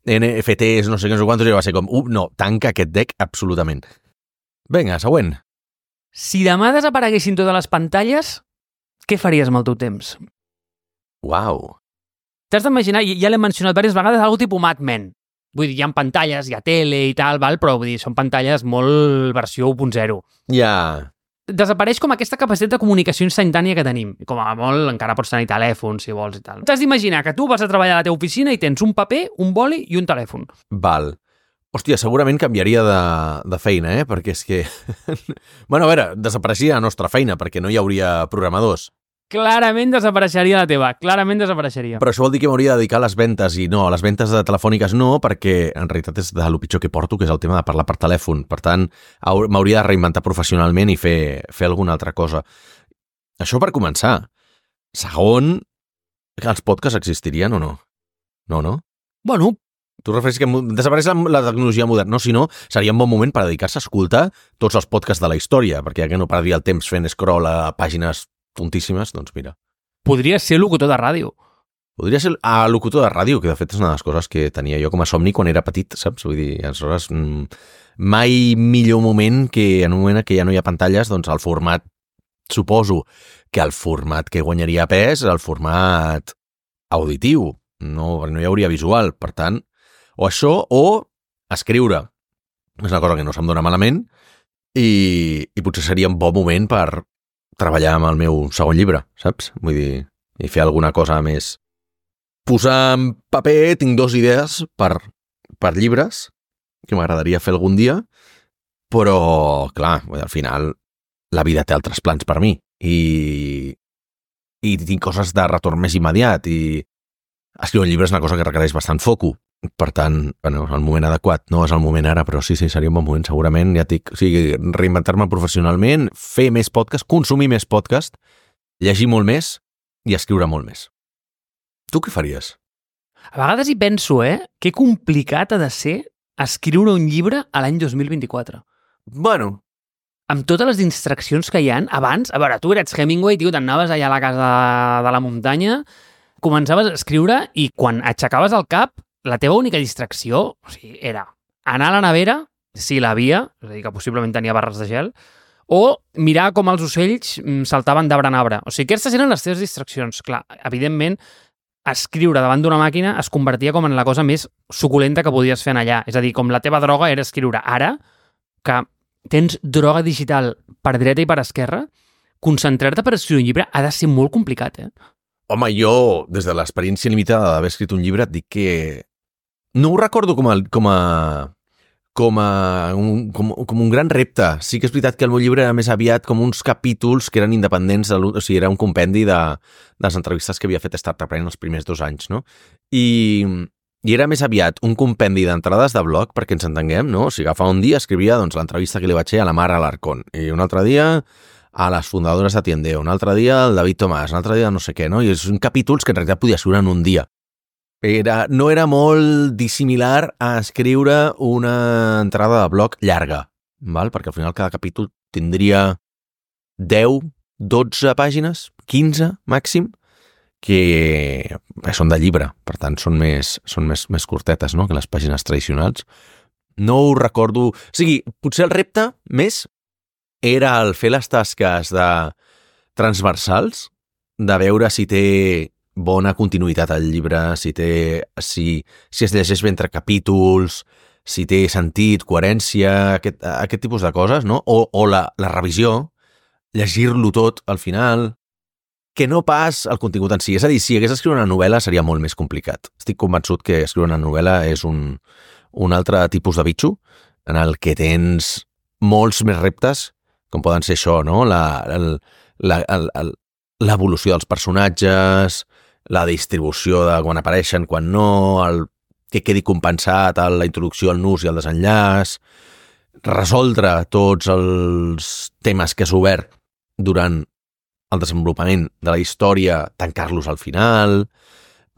N F Ts, no sé què, no sé quantos, i va ser com, uh, no, tanca aquest deck absolutament. Vinga, següent. Si demà desapareguessin totes les pantalles, què faries amb el teu temps? Uau. T'has d'imaginar, ja l'he mencionat diverses vegades, algo tipus Mad Men. Vull dir, hi ha pantalles, hi ha tele i tal, val? Però vull dir, són pantalles molt versió u punt zero. Ja. Desapareix com aquesta capacitat de comunicació instantània que tenim. Com a molt encara pots tenir telèfon, si vols i tal. T'has d'imaginar que tu vas a treballar a la teva oficina i tens un paper, un boli i un telèfon. Val. Hòstia, segurament canviaria de, de feina, eh? Perquè és que... bueno, a veure, desapareixia la nostra feina perquè no hi hauria programadors. Clarament desapareixeria la teva, clarament desapareixeria. Però això vol dir que m'hauria de dedicar a les ventes i no, a les ventes de telefòniques no, perquè en realitat és de lo pitjor que porto, que és el tema de parlar per telèfon. Per tant, m'hauria de reinventar professionalment i fer, fer alguna altra cosa. Això per començar. Segon, els podcasts existirien o no? No, no? Bueno, tu refereixes que desapareix la, la tecnologia moderna, no, si no, seria un bon moment per dedicar-se a escoltar tots els podcasts de la història, perquè ja que no perdria el temps fent scroll a pàgines tontíssimes, doncs mira. Podria ser locutor de ràdio. Podria ser a locutor de ràdio, que de fet és una de les coses que tenia jo com a somni quan era petit, saps? Vull dir, aleshores, mai millor moment que en un moment que ja no hi ha pantalles, doncs el format, suposo que el format que guanyaria pes és el format auditiu, no, no hi hauria visual, per tant, o això, o escriure. És una cosa que no se'm dona malament i, i potser seria un bon moment per treballar amb el meu segon llibre, saps? Vull dir, i fer alguna cosa més. Posar en paper, tinc dues idees per, per llibres que m'agradaria fer algun dia, però, clar, al final la vida té altres plans per mi i, i tinc coses de retorn més immediat i escriure un llibre és una cosa que requereix bastant foco. Per tant, bueno, el moment adequat no és el moment ara, però sí, sí, seria un bon moment segurament, ja dic, o sigui, reinventar-me professionalment, fer més podcast, consumir més podcast, llegir molt més i escriure molt més. Tu què faries? A vegades hi penso, eh? Que complicat ha de ser escriure un llibre a l'any dos mil vint-i-quatre. Bueno. Amb totes les distraccions que hi ha, abans, a veure, tu eres Hemingway, tio, t'anaves allà a la casa de la muntanya, començaves a escriure i quan aixecaves el cap, la teva única distracció, o sigui, era anar a la nevera, si l'havia, és a dir, que possiblement tenia barres de gel, o mirar com els ocells saltaven d'arbre en arbre. O sigui, aquestes eren les teves distraccions. Clar, evidentment, escriure davant d'una màquina es convertia com en la cosa més suculenta que podies fer en allà. És a dir, com la teva droga era escriure. Ara, que tens droga digital per dreta i per esquerra, concentrar-te per escriure un llibre ha de ser molt complicat, eh? Home, jo, des de l'experiència limitada d'haver escrit un llibre, et dic que no ho recordo com a, com a, com a un, com, com un gran repte. Sí que és veritat que el meu llibre era més aviat com uns capítols que eren independents, de, o sigui, era un compendi de, de les entrevistes que havia fet Startup Brain els primers dos anys, no? I, i era més aviat un compendi d'entrades de blog, perquè ens entenguem, no? O sigui, agafava un dia, escrivia doncs, l'entrevista que li vaig fer a la Mar Alarcón, i un altre dia a les fundadores de Tiendeo, un altre dia el David Tomàs, un altre dia no sé què, no? I són capítols que en realitat podia escriure en un dia. Era, no era molt dissimilar a escriure una entrada de blog llarga, val? Perquè al final cada capítol tindria deu, dotze pàgines, quinze màxim, que són de llibre, per tant són més, són més, més curtetes, no?, que les pàgines tradicionals. No ho recordo... O sigui, potser el repte més era el fer les tasques de transversals, de veure si té bona continuïtat al llibre, si té, si, si es llegeix bé entre capítols, si té sentit, coherència, aquest, aquest tipus de coses, no? O, o la, la revisió, llegir-lo tot al final, que no pas el contingut en si. És a dir, si hagués d'escriure una novel·la seria molt més complicat. Estic convençut que escriure una novel·la és un, un altre tipus de bitxo en el que tens molts més reptes, com poden ser això, no? La, el, la, el, el, l'evolució dels personatges, la distribució de quan apareixen, quan no, el que quedi compensat a la introducció, el nus i el desenllaç, resoldre tots els temes que has obert durant el desenvolupament de la història, tancar-los al final,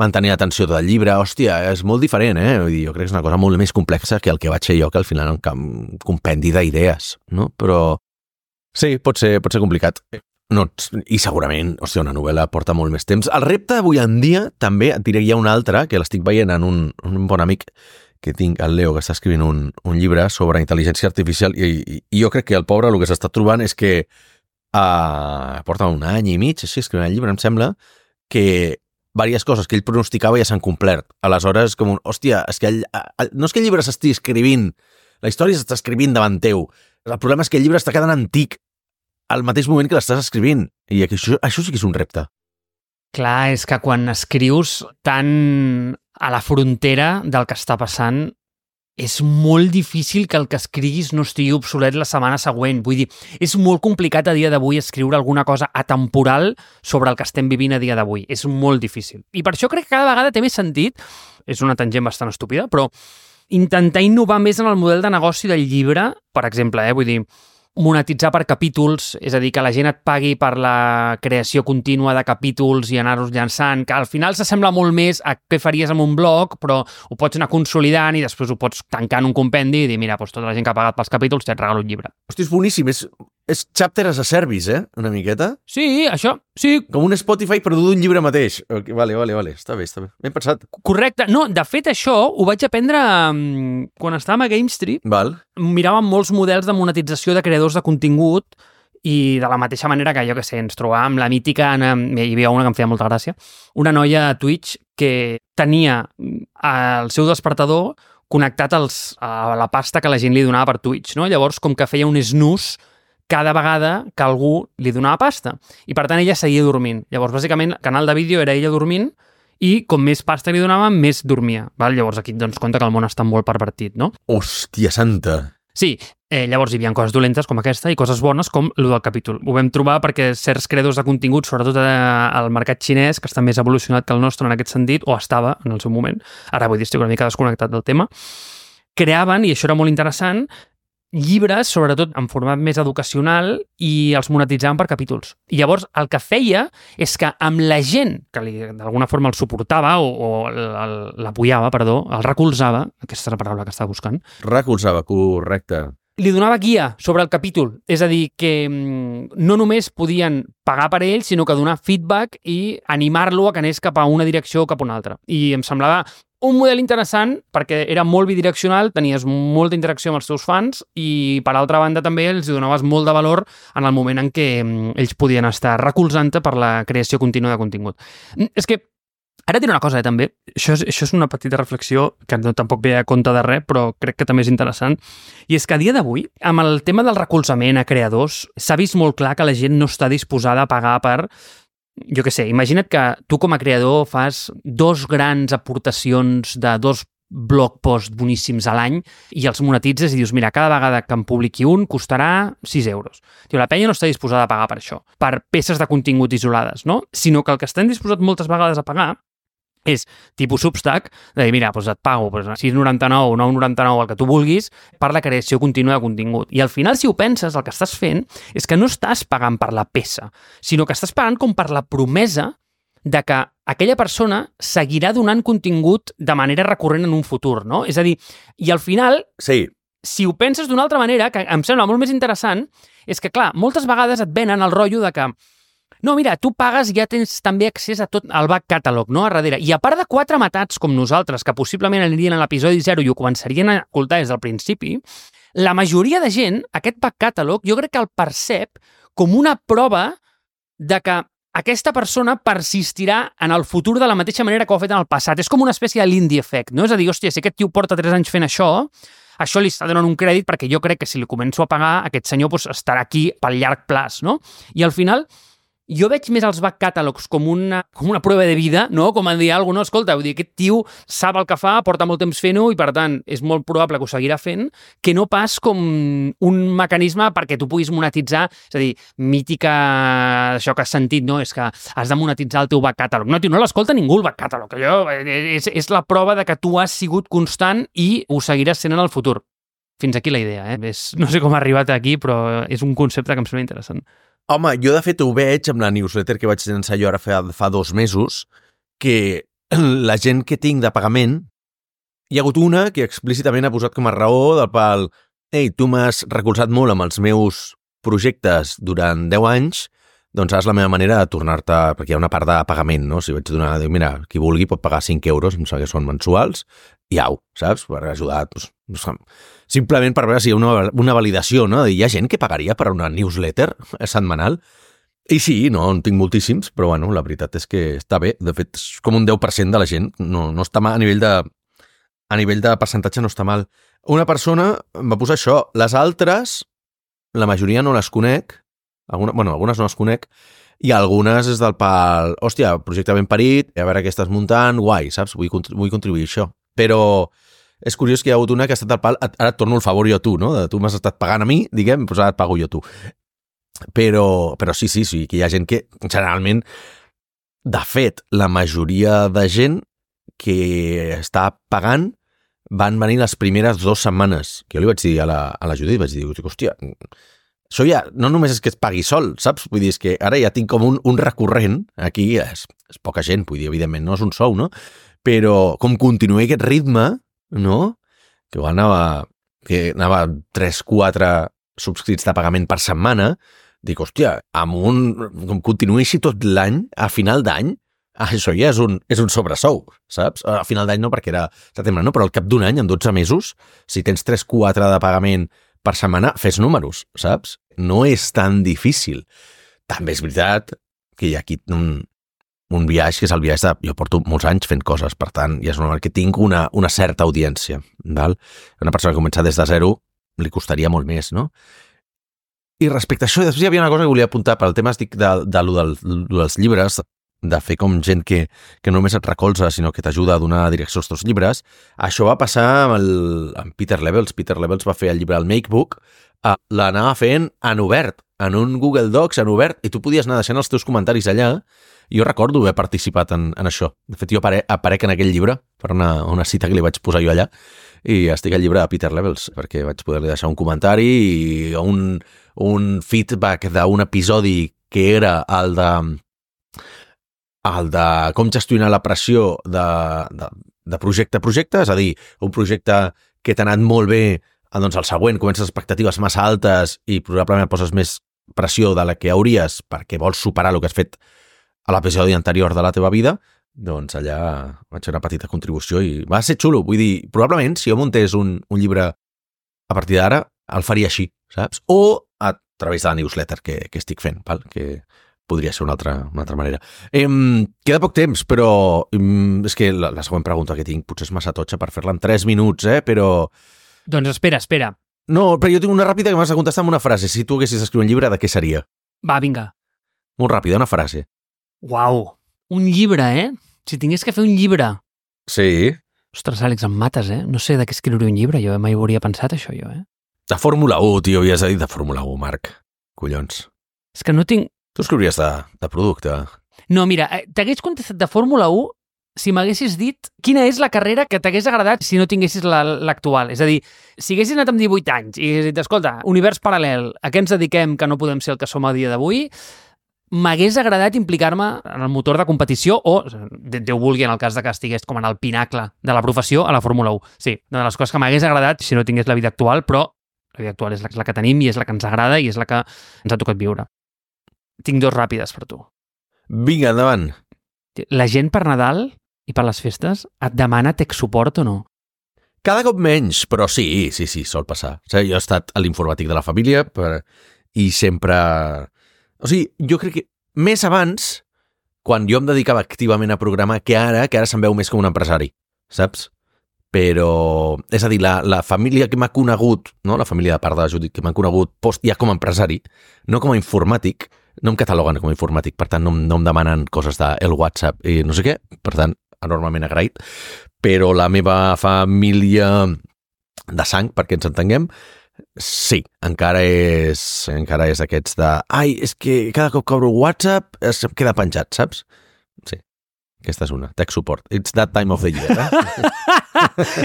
mantenir l'atenció del llibre, hòstia, és molt diferent, eh? Vull dir, jo crec que és una cosa molt més complexa que el que vaig fer jo, que al final és un compendi d'idees, no? Però sí, pot ser, pot ser complicat. No, i segurament, hòstia, una novel·la porta molt més temps. El repte avui en dia, també, et diré, hi ha un altre, que l'estic veient en un, un bon amic que tinc, el Leo, que està escrivint un, un llibre sobre intel·ligència artificial, i, i, i jo crec que el pobre el que s'està trobant és que uh, porta un any i mig, així, escrivint el llibre, em sembla, que diverses coses que ell pronosticava ja s'han complert. Aleshores, com un, hòstia, és que el, el, no és que el llibre s'estigui escrivint, la història s'està escrivint davant teu. El problema és que el llibre està quedant antic al mateix moment que l'estàs escrivint. I això, això sí que és un repte. Clar, és que quan escrius tan a la frontera del que està passant, és molt difícil que el que escriguis no estigui obsolet la setmana següent. Vull dir, és molt complicat a dia d'avui escriure alguna cosa atemporal sobre el que estem vivint a dia d'avui. És molt difícil. I per això crec que cada vegada té més sentit, és una tangent bastant estúpida, però intentar innovar més en el model de negoci del llibre, per exemple, eh? Vull dir, monetitzar per capítols, és a dir, que la gent et pagui per la creació contínua de capítols i anar-los llançant, que al final s'assembla molt més a què faries amb un blog, però ho pots anar consolidant i després ho pots tancar en un compendi i dir, mira, doncs tota la gent que ha pagat pels capítols t'et regalo un llibre. Hosti, és boníssim, és, és chapter as a service, eh? Una miqueta. Sí, això, sí. Com un Spotify, però d'un llibre mateix. Okay, vale, vale, vale, està bé, està bé. Ben pensat. Correcte. No, de fet, això ho vaig aprendre um, quan estàvem a GameStreet. Val. Miràvem molts models de monetització de creadors de contingut i de la mateixa manera que, jo que sé, ens trobàvem la mítica, hi havia una que em feia molta gràcia, una noia a Twitch que tenia el seu despertador connectat als, a la pasta que la gent li donava per Twitch, no? Llavors, com que feia un snooze cada vegada que algú li donava pasta. I, per tant, ella seguia dormint. Llavors, bàsicament, el canal de vídeo era ella dormint i com més pasta li donava, més dormia. Val? Llavors aquí et dones compte que el món està molt pervertit, no? Hòstia santa! Sí, eh, llavors hi havia coses dolentes com aquesta i coses bones com el del capítol. Ho vam trobar perquè certs creadors de contingut, sobretot al mercat xinès, que està més evolucionat que el nostre en aquest sentit, o estava en el seu moment, ara vull dir, estic una mica desconnectat del tema, creaven, i això era molt interessant, llibres, sobretot en format més educacional, i els monetitzaven per capítols. I llavors el que feia és que amb la gent que d'alguna forma el suportava o, o l'apoyava, perdó, el recolzava, aquesta és la paraula que estava buscant. Recolzava, correcte. Li donava guia sobre el capítol. És a dir, que no només podien pagar per ell, sinó que donar feedback i animar-lo a que anés cap a una direcció o cap a una altra. I em semblava un model interessant perquè era molt bidireccional, tenies molta interacció amb els teus fans i, per altra banda, també els donaves molt de valor en el moment en què ells podien estar recolzant-te per la creació contínua de contingut. És que ara diré una cosa, eh, també. Això és, això és una petita reflexió que no tampoc ve a compte de res, però crec que també és interessant. I és que a dia d'avui, amb el tema del recolzament a creadors, s'ha vist molt clar que la gent no està disposada a pagar per... Jo què sé, imagina't que tu com a creador fas dos grans aportacions de dos blog posts boníssims a l'any i els monetitzes i dius, mira, cada vegada que em publiqui un costarà sis euros. Diu, la penya no està disposada a pagar per això, per peces de contingut isolades, no? Sinó que el que estan disposats moltes vegades a pagar és tipus Substack, de dir, mira, doncs et pago doncs, sis noranta-nou o nou noranta-nou, el que tu vulguis, per la creació contínua de contingut. I al final, si ho penses, el que estàs fent és que no estàs pagant per la peça, sinó que estàs pagant com per la promesa de que aquella persona seguirà donant contingut de manera recurrent en un futur, no? És a dir, i al final, sí. Si ho penses d'una altra manera, que em sembla molt més interessant, és que, clar, moltes vegades et venen el rotllo de que no, mira, tu pagues i ja tens també accés a tot el back catalog, no?, a darrere. I a part de quatre matats com nosaltres, que possiblement anirien a l'episodi zero i ho començarien a escoltar des del principi, la majoria de gent, aquest back catalog, jo crec que el percep com una prova de que aquesta persona persistirà en el futur de la mateixa manera que ho ha fet en el passat. És com una espècie de l'indie effect, no? És a dir, hòstia, si aquest tio porta tres anys fent això, això li està donant un crèdit perquè jo crec que si li començo a pagar, aquest senyor doncs, estarà aquí pel llarg plaç, no? I al final... Jo veig més els back catalogs com una, com una prova de vida, no? Com a dir alguna cosa, no? Escolta, vull dir, aquest tio sap el que fa, porta molt temps fent-ho i, per tant, és molt probable que ho seguirà fent, que no pas com un mecanisme perquè tu puguis monetitzar, és a dir, mítica, això que has sentit, no? És que has de monetitzar el teu back catalog. No, tio, no l'escolta ningú el back catalog. Allò és, és la prova de que tu has sigut constant i ho seguiràs sent en el futur. Fins aquí la idea, eh? És, no sé com ha arribat aquí, però és un concepte que em sembla interessant. Home, jo de fet ho veig amb la newsletter que vaig llançar jo ara fa, fa dos mesos, que la gent que tinc de pagament, hi ha hagut una que explícitament ha posat com a raó del pal ei, tu m'has recolzat molt amb els meus projectes durant deu anys, doncs ara és la meva manera de tornar-te, perquè hi ha una part de pagament, no? Si vaig donar, dic, mira, qui vulgui pot pagar cinc euros, em sembla que són mensuals, i au, saps? Per ajudar, doncs, simplement per veure si hi ha una, una validació, no? Hi ha gent que pagaria per una newsletter setmanal, i sí, no, en tinc moltíssims, però bueno, la veritat és que està bé, de fet, és com un deu per cent de la gent, no, no està mal, a nivell de, a nivell de percentatge no està mal. Una persona em va posar això, les altres, la majoria no les conec, Alguna, bueno, algunes no les conec, i algunes és del pal, hòstia, projecte ben parit, a veure què estàs muntant, guai, saps? Vull, vull contribuir a això. Però és curiós que hi ha hagut una que ha estat del pal, ara et torno el favor jo a tu, no? Tu m'has estat pagant a mi, diguem, doncs ara et pago jo a tu. Però, però sí, sí, sí, que hi ha gent que, generalment, de fet, la majoria de gent que està pagant van venir les primeres dues setmanes, que jo li vaig dir a la, a la Judit, vaig dir, hòstia, això ja no només és que es pagui sol, saps? Vull dir, és que ara ja tinc com un, un recurrent, aquí és, és poca gent, vull dir, evidentment, no és un sou, no? Però com continuï aquest ritme, no? Que anava, que anava tres quatre subscrits de pagament per setmana, dic, hòstia, amb un, com continuï així tot l'any, a final d'any, això ja és un, és un sobresou, saps? A final d'any no, perquè era setembre, no? Però al cap d'un any, en dotze mesos, si tens tres quatre de pagament per setmana, fes números, saps? No és tan difícil. També és veritat que hi ha aquí un, un viatge, que és el viatge de... Jo porto molts anys fent coses, per tant, ja és normal que tinc una, una certa audiència, val? Una persona que comença des de zero li costaria molt més, no? I respecte a això, després hi havia una cosa que volia apuntar per al tema estic de, de, de, de, de dels llibres, de fer com gent que, que no només et recolza, sinó que t'ajuda a donar direcció als teus llibres. Això va passar amb, el, amb Peter Levels. Peter Levels va fer el llibre El Makebook, eh, l'anava fent en obert, en un Google Docs en obert, i tu podies anar deixant els teus comentaris allà. Jo recordo haver participat en, en això. De fet, jo apare, aparec en aquell llibre, per una, una cita que li vaig posar jo allà, i estic al llibre de Peter Levels, perquè vaig poder-li deixar un comentari i un, un feedback d'un episodi que era el de... el de com gestionar la pressió de, de, de projecte a projecte, és a dir, un projecte que t'ha anat molt bé, doncs el següent comences expectatives massa altes i probablement poses més pressió de la que hauries perquè vols superar el que has fet a l'episodi anterior de la teva vida, doncs allà vaig fer una petita contribució i va ser xulo. Vull dir, probablement si jo muntés un, un llibre a partir d'ara, el faria així, saps? O a través de la newsletter que, que estic fent, val? Que podria ser una altra, una altra manera. Eh, queda poc temps, però eh, és que la, la següent pregunta que tinc potser és massa totxa per fer-la en tres minuts, eh? Però... Doncs espera, espera. No, però jo tinc una ràpida que m'has de contestar amb una frase. Si tu haguessis d'escriure un llibre, de què seria? Va, vinga. Molt ràpida, una frase. Uau, un llibre, eh? Si tingués que fer un llibre. Sí. Ostres, Àlex, em mates, eh? No sé de què escriure un llibre, jo mai ho hauria pensat, això, jo, eh? De Fórmula u, tio, havies de dir de Fórmula u, Marc. Collons. És que no tinc... Tu escriuries de, de producte. No, mira, t'hagués contestat de Fórmula u si m'haguessis dit quina és la carrera que t'hagués agradat si no tinguessis l'actual. És a dir, si haguessis anat amb divuit anys i haguessis dit, escolta, univers paral·lel, a què ens dediquem que no podem ser el que som a dia d'avui, m'hagués agradat implicar-me en el motor de competició o, Déu vulgui, en el cas de que estigués com en el pinacle de la professió, a la Fórmula u. Sí, una de les coses que m'hagués agradat si no tingués la vida actual, però la vida actual és la, la que tenim i és la que ens agrada i és la que ens ha tocat viure. Tinc dos ràpides per tu. Vinga, endavant. La gent per Nadal i per les festes et demana tech support o no? Cada cop menys, però sí, sí, sí, sol passar. O sigui, jo he estat a l'informàtic de la família per... i sempre... O sigui, jo crec que més abans, quan jo em dedicava activament a programar, que ara, que ara se'm veu més com un empresari, saps? Però, és a dir, la, la família que m'ha conegut, no? La família de part de la Judit que m'ha conegut post ja com a empresari, no com a informàtic, no em cataloguen com a informàtic, per tant no, no em demanen coses del WhatsApp i no sé què, per tant, enormement agraït, però la meva família de sang, perquè ens entenguem, sí, encara és encara és d'aquests de ai, és que cada cop que obro WhatsApp es queda penjat, saps? Sí, Aquesta és una, tech support. It's that time of the year, eh?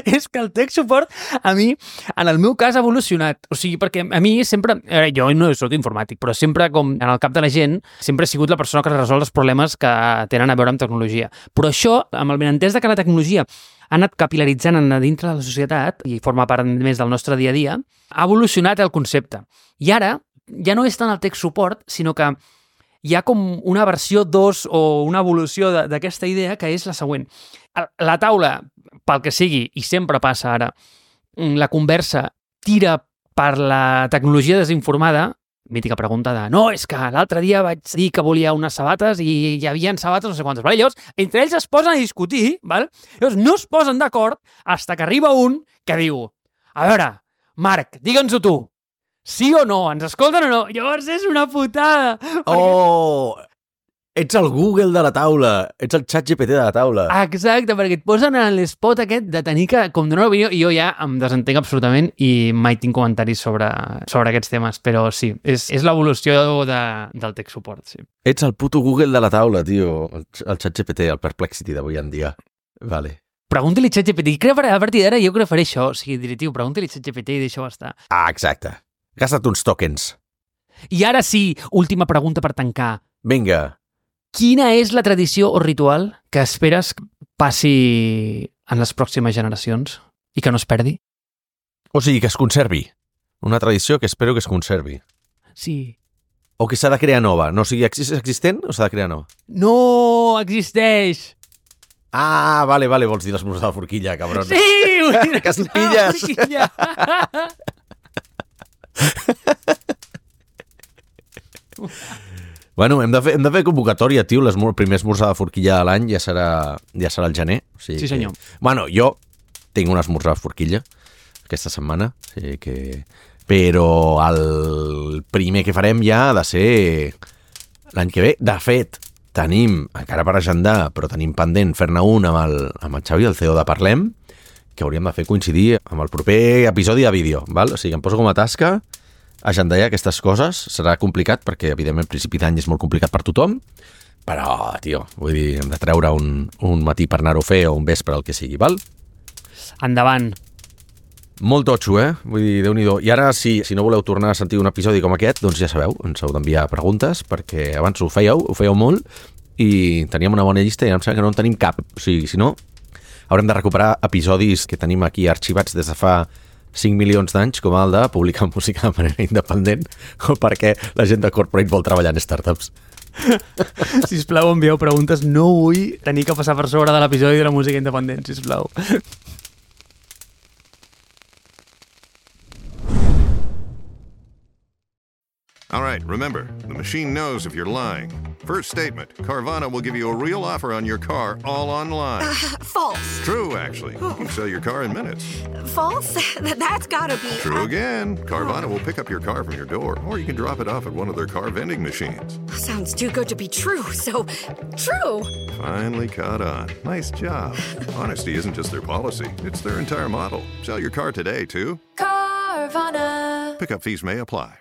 És que el tech support, a mi, en el meu cas, ha evolucionat. O sigui, perquè a mi sempre... Eh, jo no soc informàtic, però sempre, com en el cap de la gent, sempre he sigut la persona que resol els problemes que tenen a veure amb tecnologia. Però això, amb el benentès de que la tecnologia ha anat capilaritzant a dintre de la societat i forma part més del nostre dia a dia, ha evolucionat el concepte. I ara, ja no és tant el tech support, sinó que hi ha com una versió dos o una evolució d'aquesta idea que és la següent. La taula, pel que sigui, i sempre passa ara, la conversa tira per la tecnologia desinformada, mítica pregunta de no, és que l'altre dia vaig dir que volia unes sabates i hi havia sabates no sé quantes. Vale? Llavors, entre ells es posen a discutir, val? Llavors no es posen d'acord fins que arriba un que diu a veure, Marc, digue'ns-ho tu, sí o no? Ens escolten o no? Llavors és una putada. Oh! Ets el Google de la taula. Ets el xat G P T de la taula. Exacte, perquè et posen en l'espot aquest de tenir que com donar una opinió i jo ja em desentenc absolutament i mai tinc comentaris sobre, sobre aquests temes, però sí, és, és l'evolució de, del tech support, sí. Ets el puto Google de la taula, tio. El, el xat G P T, el Perplexity d'avui en dia. Vale. Pregunta-li xat G P T. I crec que a partir d'ara jo crec que faré això. O sigui, diré, tio, pregunta-li xat G P T i deixa-ho estar. Ah, exacte. Gasta't uns tokens. I ara sí, última pregunta per tancar. Vinga. Quina és la tradició o ritual que esperes que passi en les pròximes generacions i que no es perdi? O sigui, que es conservi. Una tradició que espero que es conservi. Sí. O que s'ha de crear nova. No, o sigui, és existent o s'ha de crear nova? No, existeix! Ah, vale, vale, vols dir l'esmorzar de la forquilla, cabron. Sí! Vull dir que es pilles! Bueno, hem de fer, hem de fer convocatòria, tio. El primer esmorzar de forquilla de l'any ja serà, ja serà el gener. O sigui sí, senyor. Que... Bueno, jo tinc un esmorzar de forquilla aquesta setmana, o sigui que... però el primer que farem ja ha de ser l'any que ve. De fet, tenim, encara per agendar, però tenim pendent fer-ne un amb el, amb el Xavi, el C E O de Parlem, que hauríem de fer coincidir amb el proper episodi de vídeo, val? O sigui, em poso com a tasca agendar ja aquestes coses. Serà complicat perquè, evidentment, el principi d'any és molt complicat per tothom, però, tio, vull dir, hem de treure un, un matí per anar-ho a fer o un vespre, el que sigui, val? Endavant. Molt totxo, eh? Vull dir, Déu-n'hi-do. I ara, si, si no voleu tornar a sentir un episodi com aquest, doncs ja sabeu, ens heu d'enviar preguntes, perquè abans ho fèieu, ho fèieu molt, i teníem una bona llista i em sembla que no en tenim cap. O sigui, si no, haurem de recuperar episodis que tenim aquí arxivats des de fa cinc milions d'anys, com el de publicar música de manera independent, o perquè la gent de corporate vol treballar en startups. Sisplau, envieu preguntes. No vull tenir que passar per sobre de l'episodi de la música independent, sisplau. All right, remember, the machine knows if you're lying. First statement, Carvana will give you a real offer on your car all online. Uh, false. True, actually. You can sell your car in minutes. False? That's gotta be... True again. Carvana will pick up your car from your door, or you can drop it off at one of their car vending machines. Sounds too good to be true, so true. Finally caught on. Nice job. Honesty isn't just their policy, it's their entire model. Sell your car today, too. Carvana. Pickup fees may apply.